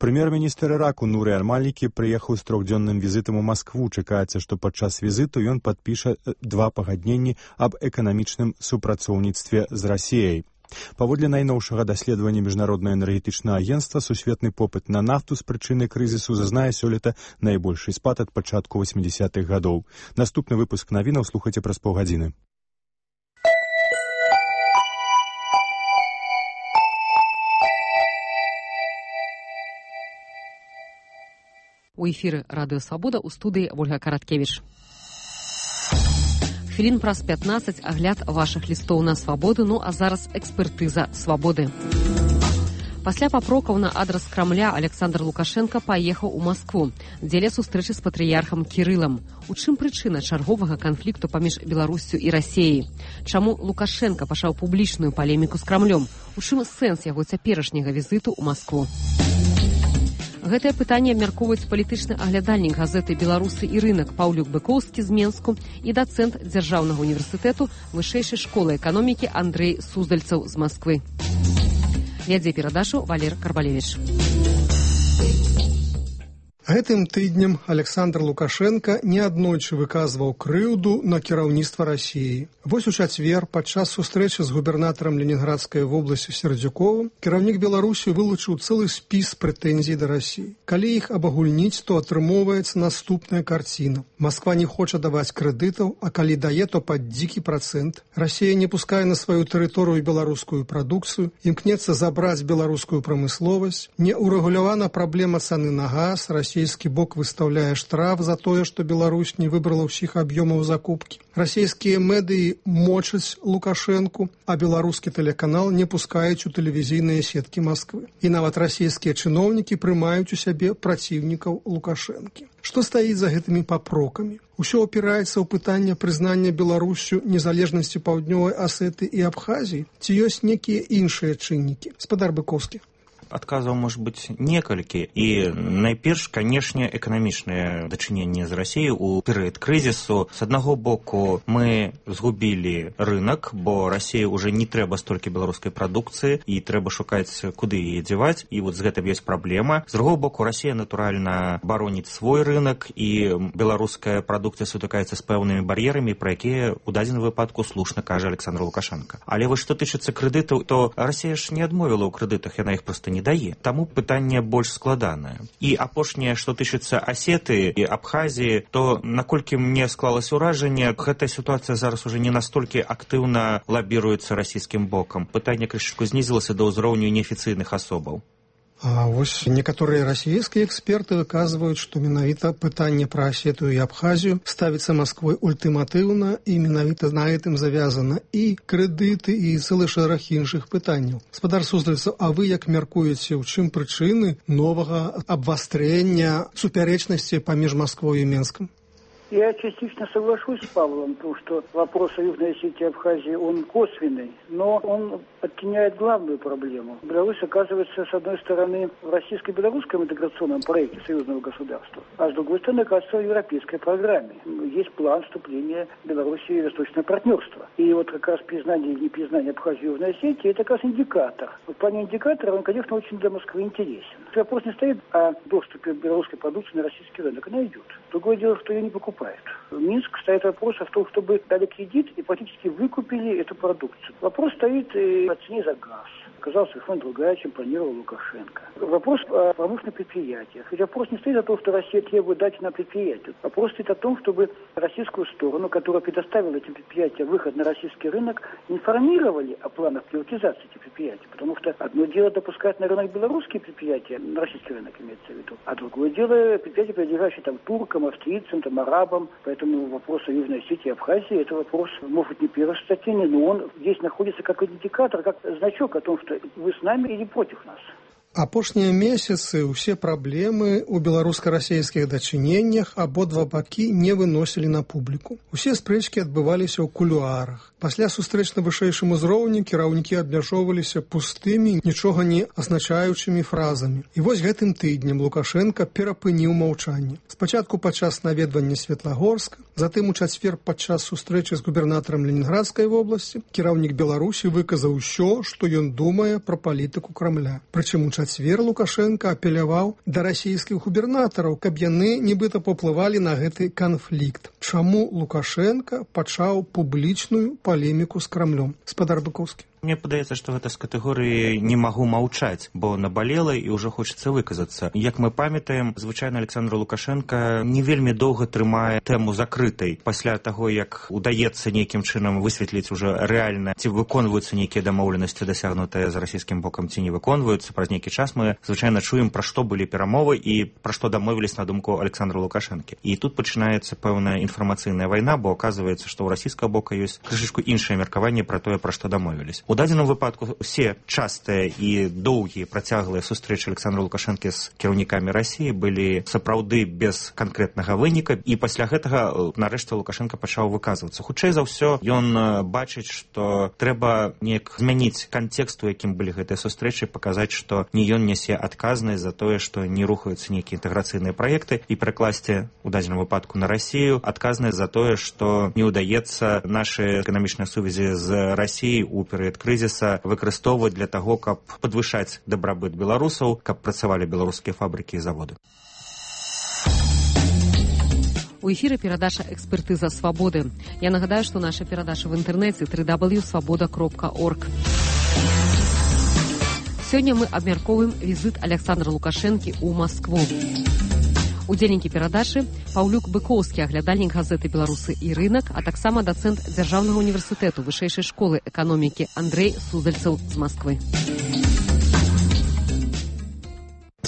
Прэм'ер-міністр Іраку Нуры аль-Малікі прыехаў з трохдзённым візітам у Маскву. Чакаецца, што падчас візіту ён падпіша два пагадненні аб эканамічным супрацоўніцтве з Расіяй. Паводле найноўшага даследавання міжнароднага энергетычнага агенцтва, сусветны попыт на нафту з прычыны крызісу зазнае сёлета найбольшы спад ад пачатку восьмідзесятых гадоў. Наступны выпуск навінаў слухайце праз паўгадзіны.
У эфіры радыё «Свабода», у студыі Ольга Караткевіч. Хвілін праз пятнаццаць агляд вашых лістоў на свабоду, ну а зараз экспертыза свабоды. Пасля папрокаў на адрас Крамля Александр Лукашенко паехаў у Маскву дзеля сустрэчы з патрыярхам Кірылам. У чым прычына чарговага канфлікту паміж Беларуссю і Расіяй? Чаму Лукашенко пачаў публічную палеміку з Крамлём? У чым сэнс яго цяперашняга візіту ў Маскву? Гэтае пытанне абмяркоўваюць палітычны аглядальнік газеты «Беларусы і рынак» Паўлюк Быкоўскі з Менску і дацэнт Дзяржаўнага універсітэту Вышэйшай школы эканомікі Андрэй Суздальцаў з Масквы. Вядзе перадачу Валер Карбалевіч.
Гэтым тыднем Александр Лукашенко неаднойчы выказваў крыўду на кіраўніцтва Расіі. Вось у чацвер падчас сустрэчы з губернатарам Ленінградскай вобласці Сердзюковым кіраўнік Беларусі вылучыў цэлы спіс прэтэнзій да Расіі. Калі іх абагульніць, то атрымоўваецца наступная карціна. Масква не хоча даваць крэдытаў, а калі дае, то пад дзікі працэнт. Расія не пускае на сваю тэрыторыю беларускую прадукцыю, імкнецца забраць беларускую прамысловасць, не ўрэгулявана праблема цаны на газ, расійскі бок выстаўляе штраф за тое, што Беларусь не выбрала ўсіх аб'ёмаў закупкі. Расійскія медыі мочаць Лукашэнку, а беларускі тэлеканал не пускаюць у тэлевізійныя сеткі Масквы. І нават расійскія чыноўнікі прымаюць у сябе праціўнікаў Лукашэнкі. Што стаіць за гэтымі папрокамі? Усё опіраецца ў пытанне прызнання Беларусю незалежнасці Паўднёвай Асеты і Абхазіі? Ці ёсць некія іншыя чыннікі? Спадар Быкоўскі.
Адказаў может быць некалькі, і найперш, канешне, эканамічнае дачыненне з Расіяй у перыяд крызісу. З аднаго боку, мы згубілі рынок, бо Расіі ўжо не трэба столькі беларускай прадукцыі, і трэба шукаць, куды яе дзяваць, і вот з гэтым ёсць праблема. З другого боку, Расія, натуральна, бароніць свой рынок, і беларуская прадукцыя сутыкаецца з пэўнымі бар'ерамі, пра якія ў дадзеным выпадку слушна кажа Александр Лукашенко. Але вось што тычыцца крэдытаў, то Расія ж не адмовіла ў крэдытах, яна іх проста не дае. Таму пытанне больш складанае. І апошняе, што тычыцца Асеты і Абхазіі, то наколькі мне склалася ўражанне, гэтая сітуацыя зараз уже не настолькі актыўна лабіруецца расійскім бокам. Пытанне крышачку знізілася да ўзроўню неафіцыйных асобаў.
А вось некаторыя расійскія эксперты выказваюць, што менавіта пытанне пра Асету і Абхазію ставіцца Масквой ультыматыўна, і менавіта на гэтым завязана і крэдыты, і цэлы шэраг іншых пытанняў. Спадар Суздальцаў, а вы як мяркуеце, у чым прычыны новага абвастрэння супярэчнасці паміж Масквой і Менскам?
Я частично соглашусь с Павлом, потому что вопрос о Южной Осетии и Абхазии, он косвенный, но он оттеняет главную проблему. Беларусь оказывается, с одной стороны, в российско-белорусском интеграционном проекте союзного государства, а с другой стороны, оказывается, в европейской программе. Есть план вступления Беларуси в восточное партнерство. И вот как раз признание или непризнание Абхазии и Южной Осетии, это как раз индикатор. В плане индикатора он, конечно, очень для Москвы интересен. Вопрос не стоит о доступе белорусской продукции на российский рынок. Она идет. Другое дело, что ее не покупают. Минск стоит вопрос о том, чтобы дали кредит и практически выкупили эту продукцию. Вопрос стоит о цене за газ. Оказалось, совершенно другая, чем планировал Лукашенко. Вопрос о промышленных предприятиях. Ведь вопрос не стоит о том, что Россия требует дать на предприятие. Вопрос стоит о том, чтобы российскую сторону, которая предоставила этим предприятиям выход на российский рынок, информировали о планах приватизации этих предприятий. Потому что одно дело допускать на рынок белорусские предприятия, на российский рынок имеется в виду, а другое дело предприятия, принадлежащие там туркам, австрийцам, там, арабам. Поэтому вопрос о Южной Осетии и Абхазии, это вопрос, может, не первостатейный, но он здесь находится как индикатор, как значок о том, что вы с нами или против нас.
Апошнія месяцы ўсе праблемы ў беларуска-расійскіх дачыненнях абодва бакі не выносілі на публіку. Усе спрэчкі адбываліся ў кулуарах. Пасля сустрэч на вышэйшым узроўні кіраўнікі абмяжоўваліся пустымі, нічога не азначаючымі фразамі. І вось гэтым тыднем Лукашенко перапыніў маўчанне. Спачатку падчас наведвання Светлагорска, затым у чацвер падчас сустрэчы з губернатарам Ленінградскай вобласці кіраўнік Беларусі выказаў усё, што ён думае пра палітыку Крамля. Прычым у чацвер Лукашенко апеляваў да расійскіх губернатараў, каб яны нібыта паўплывалі на гэты канфлікт. Чаму Лукашенко пачаў публічную палеміку з Крамлём? Спадар Быкоўскі.
Мне падаецца, што гэта з катэгорыі «не магу маўчаць», бо набалела і ўжо хочацца выказацца. Як мы памятаем, звычайна Александр Лукашенко не вельмі доўга трымае тэму закрытай. Пасля таго, як удаецца нейкім чынам высветліць уже рэальна, ці выконваюцца нейкія дамоўленасці, дасягнутыя з расійскім бокам, ці не выконваюцца, праз нейкі час мы звычайна чуем, пра што былі перамовы і пра што дамовілись на думку Александра Лукашэнкі. І тут пачынаецца пэўная інфармацыйная вайна, бо аказваецца, што ў расійскага бока ёсць крышачку іншае меркаванне пра тое, пра што дамовілись. У дадзеным выпадку усе частыя і доўгія працяглыя сустрэчы Александра Лукашэнкі з кіраўнікамі Расіі былі сапраўды без канкрэтнага выніка, і пасля гэтага нарэшце Лукашенко пачаў выказвацца. Хутчэй за ўсё ён бачыць, што трэба неяк змяніць кантэкст, у якім былі гэтыя сустрэчы, паказаць, што не ён нясе адказнасць за тое, што не рухаюцца нейкія інтэграцыйныя праекты, і прыкласці у дадзеным выпадку на Расію адказнасць за тое, што не ўдаецца нашы эканамічныя сувязі з Расіяй у перыяд крызіса выкарыстоўваць для таго, каб падвышаць дабрабыт беларусаў, каб працавалі беларускія фабрыкі і заводы.
У эфіры перадача «Экспертыза свабоды». Я нагадаю, што наша перадача в інтэрнэце дабл ю дабл ю дабл ю крапка свабода крапка орг. Сёння мы абмяркоўваем візіт Александра Лукашэнкі ў Маскву. Удзельнікі перадачы Паўлюк Быкоўскі, аглядальнік газеты «Беларусы і рынак», а таксама дацэнт Дзяржаўнага універсітэту вышэйшай школы эканомікі Андрэй Суздальцаў з Масквы.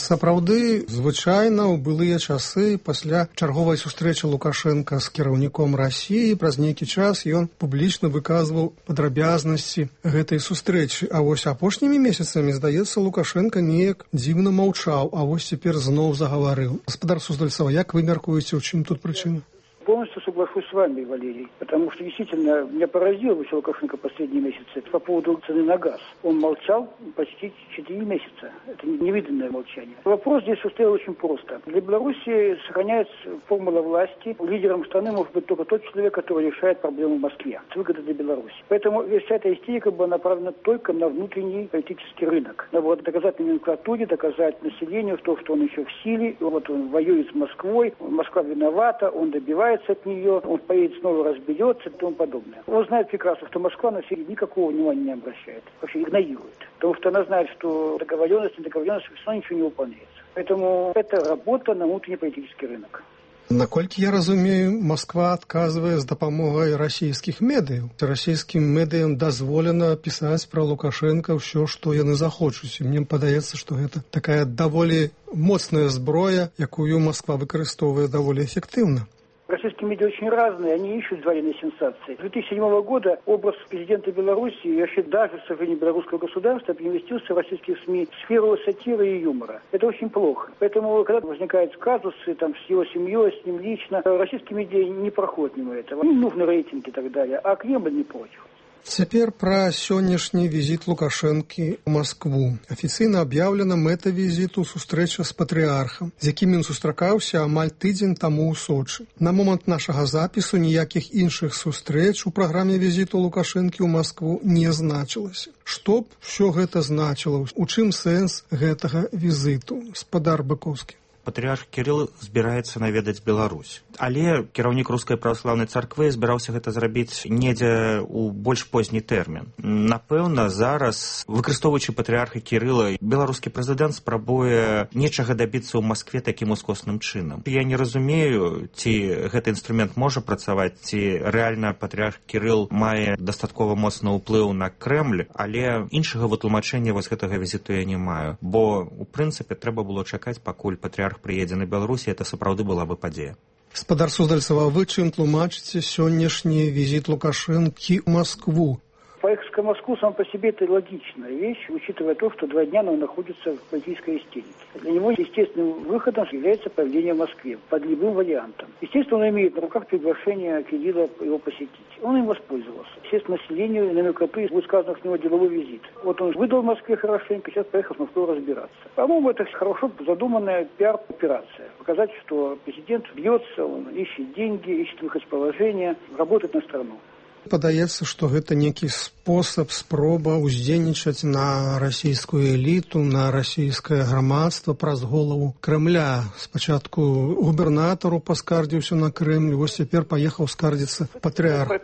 Сапраўды, звычайна ў былыя часы пасля чарговай сустрэчы Лукашэнка з кіраўніком Расіі праз нейкі час ён публічна выказваў падрабязнасці гэтай сустрэчы. А вось апошнімі месяцамі, здаецца, Лукашэнка неяк дзіўна маўчаў, а вось цяпер зноў загаварыў. Гаспадар Суздальцова, як вы мяркуеце, у чым тут прычына?
Полностью соглашусь с вами, Валерий, потому что действительно меня поразило вообще Лукашенко последние месяцы по поводу цены на газ. Он молчал почти четыре месяца. Это невиданное молчание. Вопрос здесь стоял очень просто. Для Беларуси сохраняется формула власти. Лидером страны может быть только тот человек, который решает проблему в Москве. Это выгода для Беларуси. Поэтому вся эта истерика была направлена только на внутренний политический рынок. Надо вот доказать номенклатуре, доказать населению то, что он еще в силе. Вот он воюет с Москвой. Москва виновата, он добивается от нее, он поедет снова, разберется и тому подобное. Он знает прекрасно, что Москва на себе никакого внимания не обращает, вообще игнорирует. Потому что она знает, что договоренность, недоговоренность, все равно ничего не выполняется. Поэтому это работа на внутренний политический рынок.
Наколькі я разумею, Москва адказвае з дапамогай расійскіх медыяў. Расійскім медыям дазволена пісаць пра Лукашэнка ўсё, што яны захочуць. І мне падаецца, што гэта такая даволі моцная зброя, якую Москва выкарыстоўвае даволі эфектыўна.
Российские медиа очень разные, они ищут военные сенсации. С две тысячи седьмого года образ президента Беларуси, и вообще даже, к сожалению, белорусского государства, переместился в российских СМИ в сферу сатиры и юмора. Это очень плохо. Поэтому, когда возникают казусы там, с его семьей, с ним лично, российские медиа не проходят мимо этого. Им нужны рейтинги и так далее, а Кремль не против.
Цяпер пра сённяшні візіт Лукашэнкі ў Маскву. Афіцыйна аб'яўлена мэта візіту сустрэча з патрыархам, з якім ён сустракаўся амаль тыдзень таму ў Сочы. На момант нашага запісу ніякіх іншых сустрэч у праграме візіту Лукашэнкі ў Маскву не значылася. Што б усё гэта значыла? У чым сэнс гэтага візіту? Гаспадар Быкоўскі.
Патрыарх Кірыл збіраецца наведаць Беларусь. Але кіраўнік рускай праваслаўнай царквы збіраўся гэта зрабіць недзе ў больш позні тэрмін. Напэўна, зараз, выкарыстоўваючы патрыарха Кірыла, беларускі прэзідэнт спрабуе нечага дабіцца ў Маскве такім ускосным чынам. Я не разумею, ці гэты інструмент можа працаваць, ці рэальна патрыарх Кірыл мае дастаткова моцны ўплыў на Крэмль, але іншага вытлумачэння вось гэтага візіту я не маю. Бо, у прынцыпе, трэба было чакаць, пакуль патрыарх прыедзе на Беларусі, это сапраўды была бы падзея.
Гаспадар Суздальцова, вы чым тлумачыце сённяшні візіт Лукашэнкі ў Маскву?
Поехать в Москву сам по себе это логичная вещь, учитывая то, что два дня он находится в политической истерике. Для него естественным выходом является появление в Москве под любым вариантом. Естественно, он имеет на руках приглашение Кирилла его посетить. Он им воспользовался. Естественно, населению и номенклатуре будет сказано с него деловой визит. Вот он выдал в Москве хорошенько, сейчас поехал в Москву разбираться. По-моему, это хорошо задуманная пиар-операция. Показать, что президент бьется, он ищет деньги, ищет выход из положения, работает на страну.
Падаецца, што гэта нейкі спосаб, спроба ўздзейнічаць на расійскую эліту, на расійскае грамадства праз голову Крэмля. Спачатку губернатару паскардзіўся на Крэмль, вось цяпер паехаў скардзіцца патрыарх.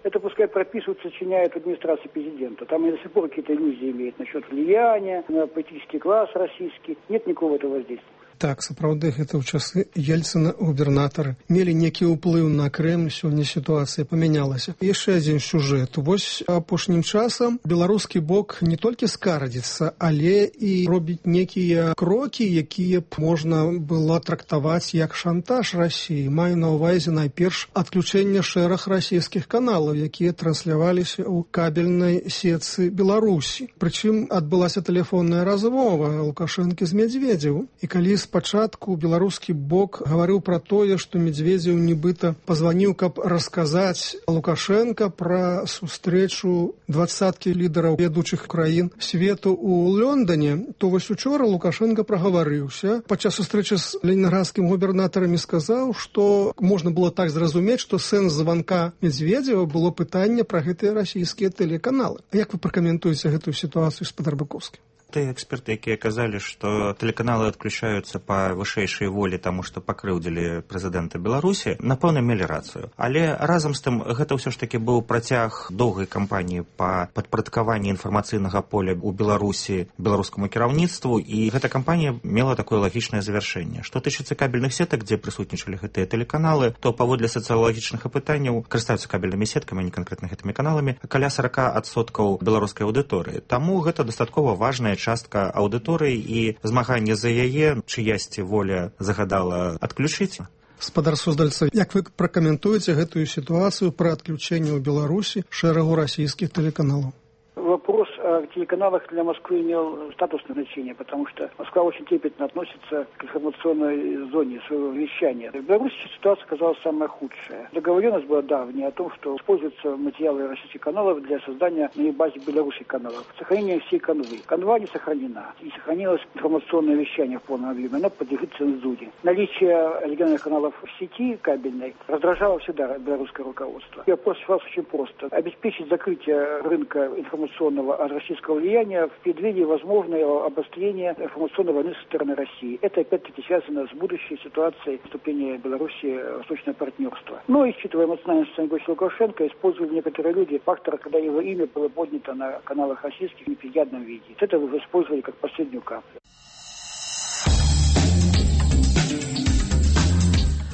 Это пускай прописывают, сочиняют администрации президента. Там они до сих пор какие-то иллюзии имеют насчет влияния на политический класс российский. Нет никакого этого воздействия.
Так, сапраўды, гэта ў часы Ельцына губернатары мелі некі ўплыў на Крэмль, сёння сітуацыя памянялася. Яшчэ адзін сюжэт. Вось апошнім часам беларускі бок не толькі скардзіцца, але і робіць некія крокі, якія б можна было трактаваць як шантаж Расіі. Маю на ўвазе найперш адключэнне шэраг расійскіх каналаў, якія трансляваліся ў кабельнай сетцы Беларусі. Прычым адбылася тэлефонная размова Лукашэнкі з Медведзевым. І калі спачатку беларускі бок гаварыў пра тое, што Медведзеў нібыта пазваніў, каб расказаць Лукашэнка пра сустрэчу дваццаткі лідараў ведучых краін свету ў Лондоне, то вось учора Лукашэнка прагаварыўся. Падчас сустрэчы з ленінградскім губернатарам сказаў, што можна было так зразумець, што сэнс званка Медведзева было пытанне пра гэтыя расійскія тэлеканалы. А як вы пракаментуеце гэтую сітуацыю, гаспадар Быкоўскі?
тыя эксперты, якія казалі, што тэлеканалы адключаюцца па вышэйшай волі, таму што пакрыўдзілі прэзідэнта Беларусі, напэўна, мелі рацыю. Але разам з тым, гэта ўсё ж такі быў працяг доўгай кампаніі па падпарадкаванні інфармацыйнага поля ў Беларусі беларускаму кіраўніцтву, і гэта кампанія мела такое лагічнае завяршэнне. Што тычыцца кабельных сетак, дзе прысутнічалі гэтыя тэлеканалы, то паводле сацыялагічных апытанняў карыстаюцца кабельнымі сеткамі, а не канкрэтна гэтымі каналамі, каля сорок адсоткаў беларускай аўдыторыі. Таму гэта дастаткова важная частка аўдыторыі, і змаганне за яе, чыясьці воля загадала адключыць.
Спадар Суздальца, як вы пракаментуеце гэтую сітуацыю пры адключэнні ў Беларусі шэрагу расійскіх тэлеканалаў?
Вопрос о телеканалах для Москвы имел статусное значение, потому что Москва очень трепетно относится к информационной зоне своего вещания. В Беларуси ситуация оказалась самая худшая. Договоренность была давняя о том, что используются материалы российских каналов для создания на базе белорусских каналов. Сохранение всей канвы. Канва не сохранена. И сохранилось информационное вещание в полном объеме. Оно подлежит цензуре. Наличие региональных каналов в сети кабельной раздражало всегда белорусское руководство. И вопрос решался очень просто. Обеспечить закрытие рынка информационного от российского влияния в преддверии возможного обострения информационной войны со стороны России. Это опять-таки связано с будущей ситуацией вступления Беларуси в восточное партнерство. Но, учитывая эмоциональное состояние Лукашенко, использовали некоторые люди фактор, когда его имя было поднято на каналах российских в неприятном виде. Это уже использовали как последнюю каплю.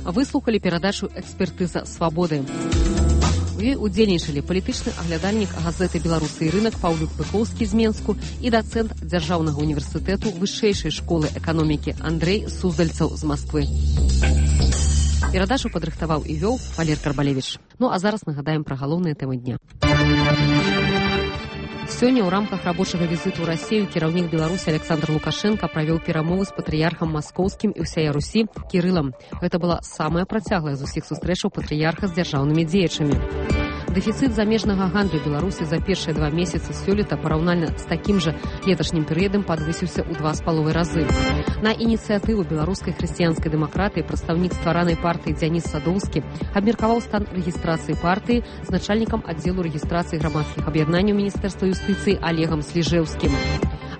Выслухали перадачу «Экспертыза свабоды». У ёй удзельнічалі палітычны аглядальнік газеты «Беларусы і рынок» Паўлюк Пыкоўскі з Менску і дацэнт Дзяржаўнага універсітэту вышэйшай школы эканомікі Андрэй Суздальцаў з Масквы. Перадачу падрыхтаваў і вёў Валер Карбалевіч. Ну а зараз нагадаем пра галоўныя тэмы дня. Сёння ў рамках рабочага візіту ў Расію кіраўнік Беларусі Александр Лукашенко правёў перамовы з патрыярхам маскоўскім і ўсяе Русі Кірылам. Гэта была самая працяглая з усіх сустрэчаў патрыярха з дзяржаўнымі дзеячамі. Дэфіцыт замежнага гандлю Беларусі за першыя два месяцы сёлета параўнальна з такім жа леташнім перыядам падвысіўся ў два з паловай разы. На ініцыятыву беларускай хрысціянскай дэмакратыі прадстаўнік стваранай партыі Дзяніс Садоўскі абмеркаваў стан рэгістрацыі партыі з начальнікам аддзелу рэгістрацыі грамадскіх аб'яднанняў Міністэрства юстыцыі Олегам Сліжэўскім.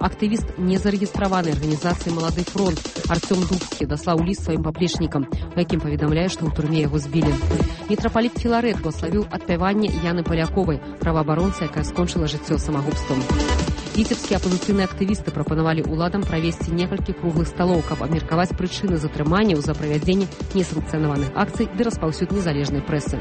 Актывіст незарэгістраванай арганізацыі «Малады фронт» Артём Дубскі даслаў ліст сваім паплечнікам, у якім паведамляе, што ў турме яго збілі. Мітрапаліт Філарэт благословіў адпяванне Яны Паляковай, праваабаронцы, якая скончыла жыццё самагубствам. Віцебскія апазіцыйныя актывісты прапанавалі ўладам правесці некалькі круглых сталоў, каб абмеркаваць прычыны затрыманняў за правядзенне несанкцыянаваных акцый ды распаўсюд незалежнай прэсы.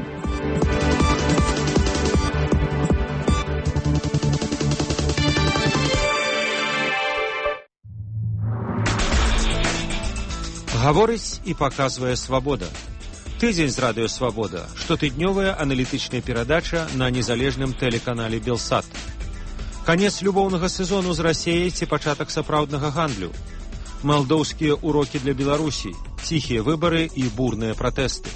Гаворыць і паказвае свабода. Тыдзень з радыё «Свабода» – штотыднёвая аналітычная перадача на незалежным тэлеканале «Белсат». Канец любоўнага сезону з Расіяй ці пачатак сапраўднага гандлю. Малдоўскія урокі для Беларусі, ціхія выбары і бурныя пратэсты.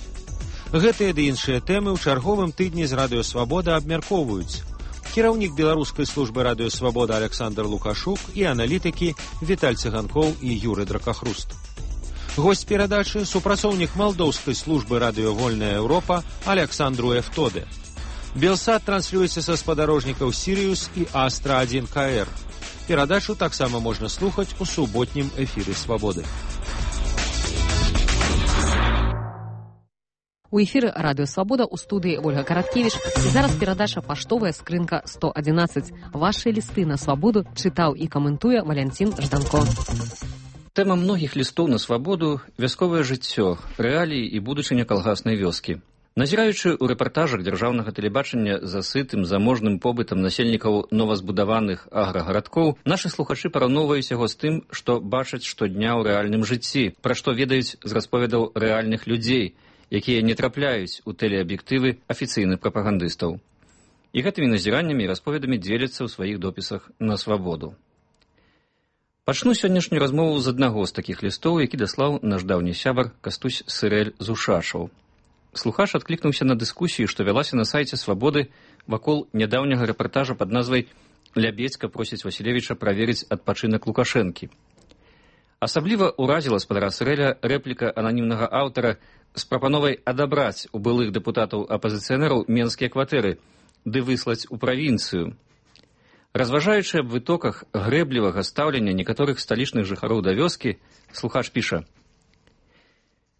Гэтыя ды іншыя тэмы ў чарговым тыдні з радыё «Свабода» абмяркоўваюць кіраўнік беларускай службы радыё «Свабода» Александр Лукашук і аналітыкі Віталь Цыганкоў і Юры Дракахруст. Госць перадачы – супрацоўнік малдоўскай службы радыё «Вольная Еўропа» Александру Эфтоде. «Белсат» транслюецца са спадарожнікаў «Сірыус» і «Астра один ка эр». Перадачу таксама можна слухаць у суботнім эфіры «Свабоды».
У эфіры радыё «Свабода» у студыі Ольга Караткевіч. І зараз перадача «Паштовая скрынка сто адзінаццаць». Вашыя лісты на свабоду чытаў і каментуе Валянцін Жданко.
Тэма многіх лістоў на свабоду – вясковае жыццё, рэаліі і будучыня калгаснай вёскі. Назіраючы ў рэпартажах дзяржаўнага тэлебачання за сытым заможным побытам насельнікаў новазбудаваных аграгарадкоў, нашы слухачы параўноўваюць яго з тым, што бачаць штодня ў рэальным жыцці, пра што ведаюць з расповедаў рэальных людзей, якія не трапляюць у тэлеаб'ектывы афіцыйных прапагандыстаў. І гэтымі назіраннямі і расповедамі дзеляцца ў сваіх допісах на свабоду. Пачну сённяшнюю размову з аднаго з такіх лістоў, які даслаў наш даўні сябар Кастусь Сырэль з Ушашаў. Слухач адклікнуўся на дыскусію, што вялася на сайце «Свабоды» вакол нядаўняга рэпартажа пад назвай «Лябедзька просіць Васілевіча праверыць адпачынак Лукашэнкі». Асабліва ўразіла спадара Сырэля рэпліка ананімнага аўтара з прапановай адабраць у былых дэпутатаў апазіцыянераў менскія кватэры ды выслаць у правінцыю. Разважаючы аб вытоках грэблівага стаўлення некаторых сталічных жыхароў да вёскі, слухач піша: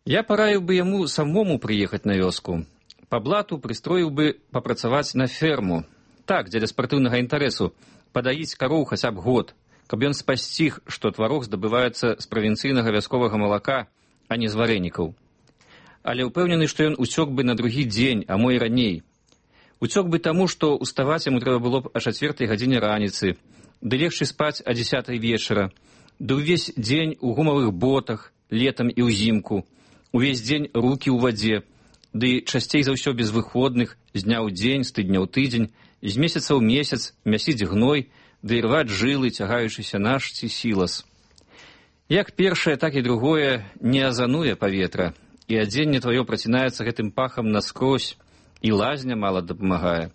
«Я параіў бы яму самому прыехаць на вёску. Па блату прыстроіў бы папрацаваць на ферму. Так, дзеля спартыўнага інтарэсу, падаіць кароў хаця б год, каб ён спасціг, што тварог здабываецца з правінцыйнага вясковага малака, а не з варэнікаў. Але ўпэўнены, што ён уцёк бы на другі дзень, а мо і раней. Уцёк бы таму, што уставаць яму трэба было б о чацвёртай гадзіне раніцы, ды легчы спаць о дзесятай вечара, ды ўвесь дзень у гумавых ботах, летам і ўзімку, увесь дзень рукі ў вадзе, ды часцей за ўсё без выходных, з дня ў дзень, з тыдня ў тыдзень, з месяца ў месяц мясіць гной, ды рваць жылы, цягаючыся наш ці сілас. Як першае, так і другое не азануе паветра, і адзенне тваё працінаецца гэтым пахам наскрозь, і лазня мала дапамагае.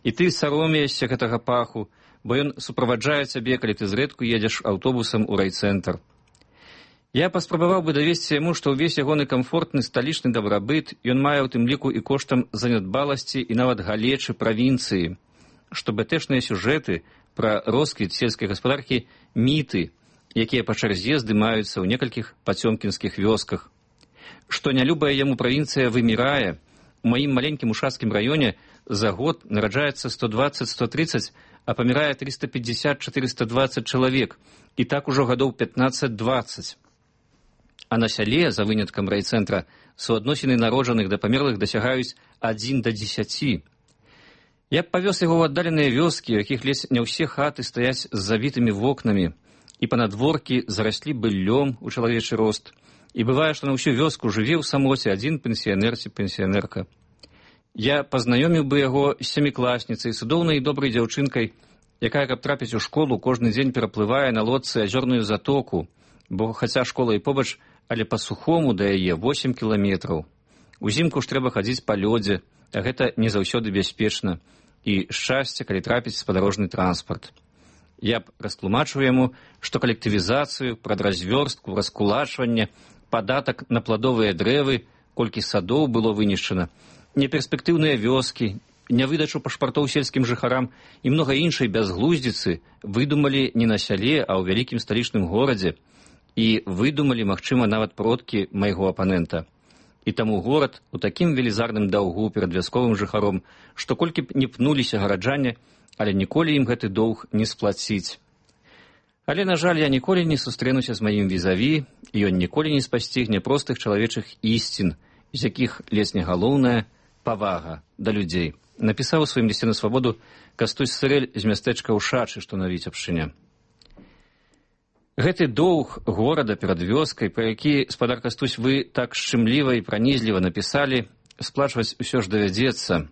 І ты саромеешся гэтага паху, бо ён суправаджае цябе, калі ты зрэдку едзеш аўтобусам у райцэнтр. Я паспрабаваў бы давесці яму, што ўвесь ягоны камфортны сталічны дабрабыт ён мае ў тым ліку і коштам занядбаласці і нават галечы правінцыі, што бэтэшныя сюжэты пра росквіт сельскай гаспадаркі міты, якія па чарзе здымаюцца ў некалькіх пацёмкінскіх вёсках. Што нялюбая яму правінцыя вымірае, у маім маленькім ушацкім раёне за год нараджаецца сто дваццаць — сто трыццаць, а памірае трыста пятьдесят — четыреста двадцать чалавек, і так ужо гадоў пятнаццаць — дваццаць. А на сяле, за выняткам райцэнтра, суадносіны народжаных да памерлых дасягаюць адзін да дзесяці. Я б павёз яго ў аддаленыя вёскі, у якіх ледзь не ўсе хаты стаяць з забітымі вокнамі, і панадворкі зараслі быллём у чалавечы рост, і бывае, што на ўсю вёску жыве ў самоце адзін пенсіянер ці пенсіянерка. Я пазнаёміў бы яго з сямікласніцай, цудоўнай і добрай дзяўчынкай, якая, каб трапіць у школу, кожны дзень пераплывае на лодцы азёрную затоку, бо хаця школа і побач, але па-сухому да яе восем кіламетраў. Узімку ж трэба хадзіць па лёдзе, а гэта не заўсёды бяспечна, і шчасце, калі трапіць спадарожны транспарт. Я б растлумачыў яму, што калектывізацыю, прадразвёрстку, раскулачванне, падатак на пладовыя дрэвы, колькі садоў было вынішчана, неперспектыўныя вёскі, нявыдачу пашпартоў сельскім жыхарам і многа іншай бязглуздзіцы выдумалі не на сяле, а ў вялікім сталічным горадзе, і выдумалі, магчыма, нават продкі майго апанента. І таму горад у такім велізарным даўгу перад вясковым жыхаром, што колькі б не пнуліся гараджане, але ніколі ім гэты доўг не сплаціць. Але, на жаль, я ніколі не сустрэнуся з маім візаві, і ён ніколі не спасцігне простых чалавечых ісцін, з якіх лесне галоўная павага да людзей. Напісаў у сваім лісце на свабоду Кастусь Сырэль з мястэчка Ушачы, што на Віцебшчыне. Гэты доўг горада перад вёскай, пра які, спадар Кастусь, вы так шчымліва і пранізліва напісалі, сплачваць усё ж давядзецца.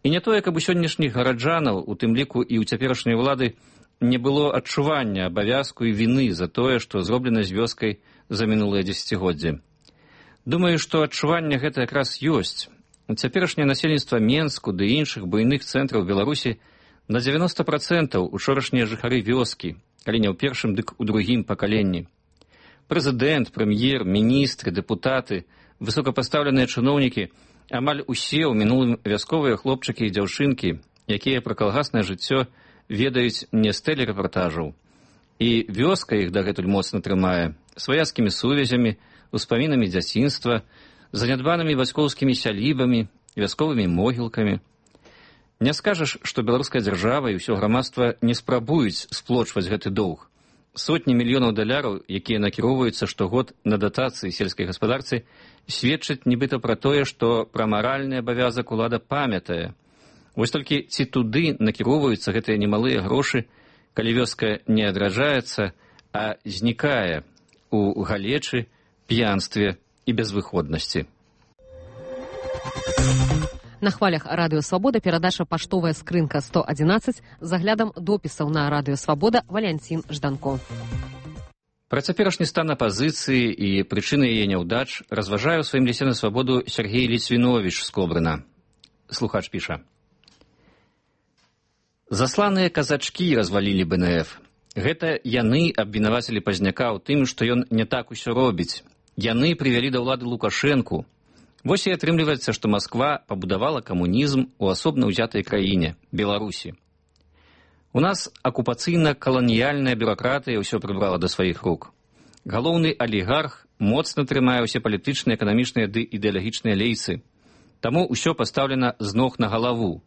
І не тое, каб у сённяшніх гараджанаў, у тым ліку і ў цяперашняй улады, не было адчування абавязку і віны за тое, што зроблена з вёскай за мінулыя дзесяцігоддзі. Думаю, што адчуванне гэта якраз ёсць. Цяперашняе насельніцтва Менску ды іншых буйных цэнтраў Беларусі на дзевяноста працэнтаў учорашнія жыхары вёскі, калі не ў першым, дык у другім пакаленні. Прэзідэнт, прэм'ер, міністры, дэпутаты, высокапастаўленыя чыноўнікі, амаль усе ў мінулым вясковыя хлопчыкі і дзяўчынкі, якія пра калгаснае жыццё ведаюць не з тэлерэпартажаў. І вёска іх дагэтуль моцна трымае сваяцкімі сувязямі, успамінамі дзяцінства, занядбанымі бацькоўскімі сялібамі, вясковымі могілкамі. Не скажаш, што беларуская дзяржава і ўсё грамадства не спрабуюць сплочваць гэты доўг. Сотні мільёнаў даляраў, якія накіроўваюцца штогод на датацыі сельскай гаспадарцы, сведчаць нібыта пра тое, што пра маральны абавязак улада памятае. Вось толькі ці туды накіроўваюцца гэтыя немалыя грошы, калі вёска не адраджаецца, а знікае у галечы, п'янстве і безвыходнасці.
На хвалях Радыё Свабода перадача «Паштовая скрынка сто адзінаццаць» з аглядам допісаў на Радыё Свабода Валянцін Жданко.
Пра цяперашні стан апазіцыі і прычыны яе няўдач разважае ў сваім лісце на свабоду Сергей Ліцвіновіч з Кобрына. Слухач піша. Засланыя казачкі развалілі бэ эн эф. Гэта яны абвінавацілі Пазняка ў тым, што ён не так усё робіць. Яны прывялі да ўлады Лукашэнку. Вось і атрымліваецца, што Масква пабудавала камунізм у асобна ўзятай краіне, Беларусі. У нас акупацыйна-каланіяльная бюракратыя ўсё прыбрала да сваіх рук. Галоўны алігарх моцна трымае ўсе палітычныя, эканамічныя ды ідэалагічныя лейцы. Таму ўсё пастаўлена з ног на галаву.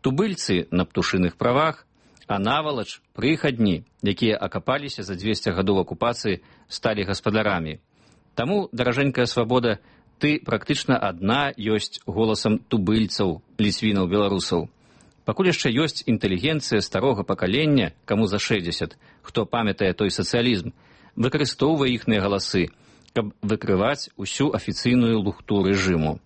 Тубыльцы на птушыных правах, а навалач прыхадні, якія акапаліся за дзвесце гадоў акупацыі, сталі гаспадарамі. Таму, даражэнькая свабода, ты практычна адна ёсць голасам тубыльцаў, ліцвінаў, беларусаў. Пакуль яшчэ ёсць інтэлігенцыя старога пакалення, каму за шэсцьдзесят, хто памятае той сацыялізм, выкарыстоўвае іхныя галасы, каб выкрываць усю афіцыйную лухту рэжыму.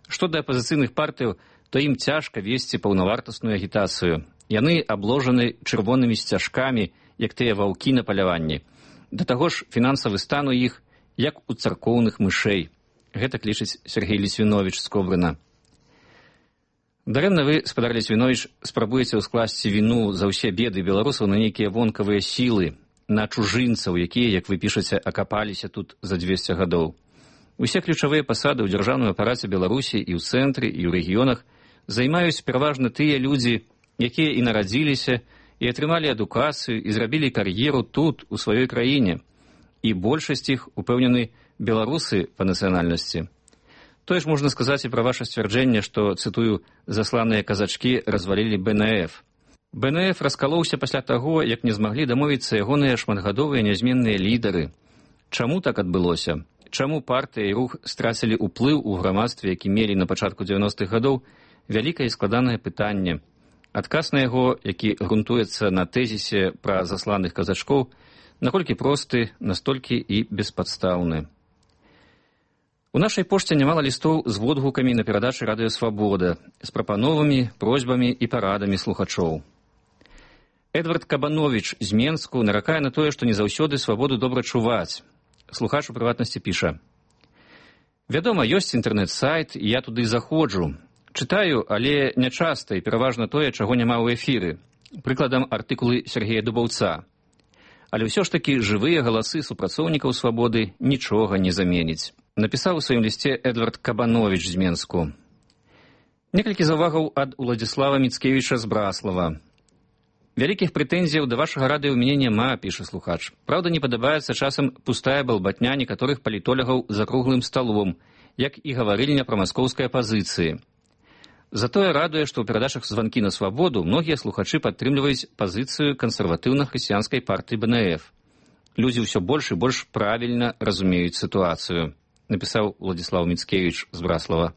Што да апазіцыйных партыяў, то ім цяжка весці паўнавартасную агітацыю. Яны абложаны чырвонымі сцяжкамі, як тыя ваўкі на паляванні. Да таго ж фінансавы стан у іх, як у царкоўных мышэй. Гэтак лічыць Сергей Ліцвіновіч з Кобрына. Дарэмна вы, спадар Ліцвіновіч, спрабуеце ўскласці віну за ўсе беды беларусаў на нейкія вонкавыя сілы, на чужынцаў, якія, як вы пішаце, акапаліся тут за дзвесце гадоў. Усе ключавыя пасады ў дзяржаўным апараце Беларусі і ў цэнтры, і ў рэгіёнах займаюць пераважна тыя людзі, якія і нарадзіліся, і атрымалі адукацыю, і зрабілі кар'еру тут, у сваёй краіне. І большасць іх, упэўнены, беларусы па нацыянальнасці. Тое ж можна сказаць і пра ваша сцвярджэнне, што, цытую, засланыя казачкі развалілі бэ эн эф. бэ эн эф раскалоўся пасля таго, як не змаглі дамовіцца ягоныя шматгадовыя нязменныя лідары. Чаму так адбылося? Чаму партыя і рух страцілі ўплыў у грамадстве, які мелі на пачатку дзевяностых гадоў, вялікае і складанае пытанне. Адказ на яго, які грунтуецца на тэзісе пра засланых казачкоў, наколькі просты, настолькі і беспадстаўны. У нашай пошце нямала лістоў з водгукамі на перадачы радыё «Свабода», з прапановамі, просьбамі і парадамі слухачоў. Эдвард Кабановіч з Менску наракае на тое, што не заўсёды свабоду добра чуваць. Слухач у прыватнасці піша: «Вядома, ёсць інтэрнэт-сайт, і я туды заходжу. Чытаю, але нячаста і пераважна тое, чаго няма ў эфіры. Прыкладам, артыкулы Сергея Дубаўца. Але ўсё ж такі жывыя галасы супрацоўнікаў свабоды нічога не заменіць». Напісаў у сваім лісце Эдвард Кабановіч з Менску. Некалькі заўвагаў ад Уладзіслава Міцкевіча з Браслава. Вялікіх прэтэнзіяў да вашага радыё ў мяне няма, піша слухач. Праўда, не падабаецца часам пустая балбатня некаторых палітолягаў за круглым сталом, як і гаварыльня пра маскоўскай апазіцыі. Затое радуе, што ў перадачах «Званкі на свабоду» многія слухачы падтрымліваюць пазіцыю кансерватыўна-хрысціянскай партыі бэ эн эф. Людзі ўсё больш і больш правільна разумеюць сітуацыю, напісаў Уладзіслав Міцкевіч з Браслава.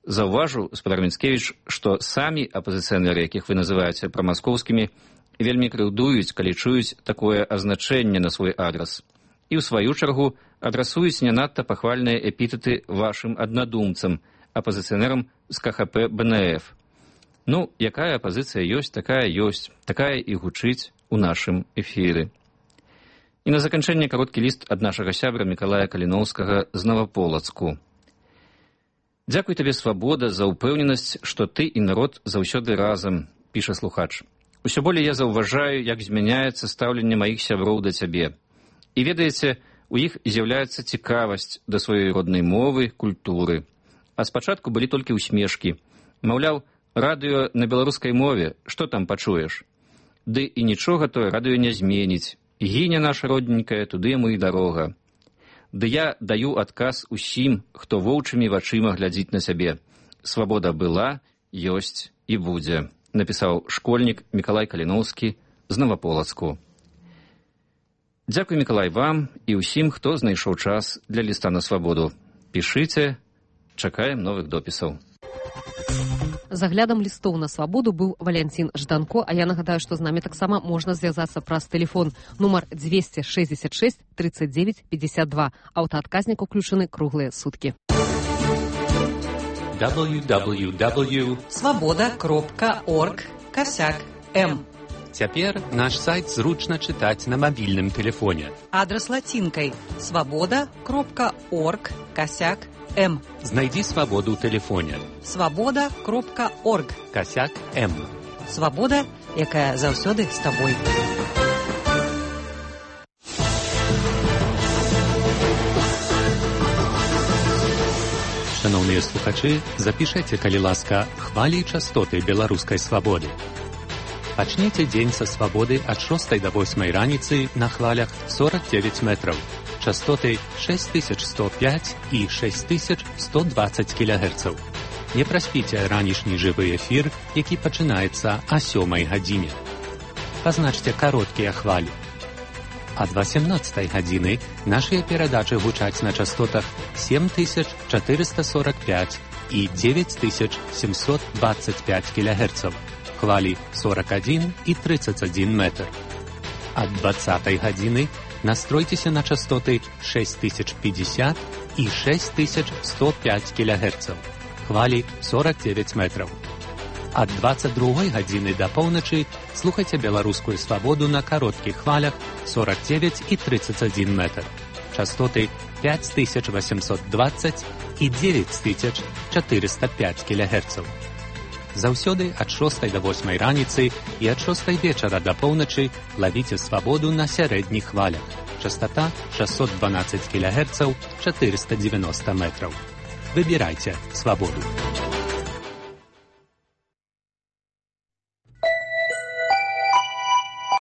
Заўважу, спадар Міцкевіч, што самі апазіцыянеры, якіх вы называеце прамаскоўскімі, вельмі крыўдуюць, калі чуюць такое азначэнне на свой адрас. І ў сваю чаргу адрасуюць не надта пахвальныя эпітэты вашым аднадумцам, апазіцыянерам з ка ха пэ бэ эн эф. Ну, якая апазіцыя ёсць, такая ёсць, такая і гучыць у нашым эфіры. І на заканчэнне кароткі ліст ад нашага сябра Мікалая Каліноўскага з Новаполацку. «Дзякуй табе, свабода, за ўпэўненасць, што ты і народ заўсёды разам», піша слухач. «Усё болей я заўважаю, як змяняецца стаўленне маіх сяброў да цябе. І ведаеце, у іх з'яўляецца цікавасць да сваёй роднай мовы, культуры. А спачатку былі толькі ўсмешкі. Маўляў, радыё на беларускай мове, што там пачуеш? Ды і нічога тое радыё не зменіць. Гіня наша родненькая, туды яму і дарога. Ды я даю адказ усім, хто воўчымі вачыма глядзіць на сябе. Свабода была, ёсць і будзе», напісаў школьнік Мікалай Каліноўскі з Новаполацку. Дзякуй, Мікалай, вам і ўсім, хто знайшоў час для ліста на свабоду. Пішыце, чакаем новых допісаў.
З аглядам лістоў на свабоду быў Валянцін Жданко, а я нагадаю, што з намі таксама можна звязацца праз тэлефон нумар двести шестьдесят шесть тридцать девять пятьдесят два. Аўтаадказнік уключаны круглыя суткі.
дабл ю дабл ю дабл ю кропка свабода кропка орг касяк эм. Цяпер наш сайт зручна чытаць на мабільным тэлефоне.
Адрас лацінкай свабода кропка орг касяк эм.
Знайдзі свабоду ў тэлефоне.
свабода кропка орг
касяк эм.
Свабода, якая заўсёды з табой.
Шановныя слухачы, запішайце, калі ласка, хвалі і частоты беларускай свабоды. Пачніце дзень са свабоды ад шостай да восьмай раніцы на хвалях сорок девять метраў, частоты шесть тысяч сто пять і шесть тысяч сто двадцать кілягерцаў. Не праспіце ранішні жывы эфір, які пачынаецца о сёмай гадзіне. Пазначце кароткія хвалі. Ад васемнаццатай гадзіны нашыя перадачы гучаць на частотах семь тысяч четыреста сорок пять і девять тысяч семьсот двадцать пять кілягерцаў. Хвалі сорок один і тридцать один метр. Ад двадцатай гадзіны настройцеся на частоты шесть тысяч пятьдесят і шесть тысяч сто пять кілягерцаў. Хвалі сорок девять метров. Ад двадцать другой гадзіны да поўначы слухайце беларускую свабоду на кароткіх хвалях сорок девять і тридцать один метр. Частоты пять тысяч восемьсот двадцать і девять тысяч четыреста пять кілягерцаў. Заўсёды ад шостай да восьмай раніцы і ад шостай вечара да поўначы лавіце свабоду на сярэдніх хвалях. Частота шестьсот двенадцать кілягерцаў, четыреста девяносто метров. Выбирайте свободу.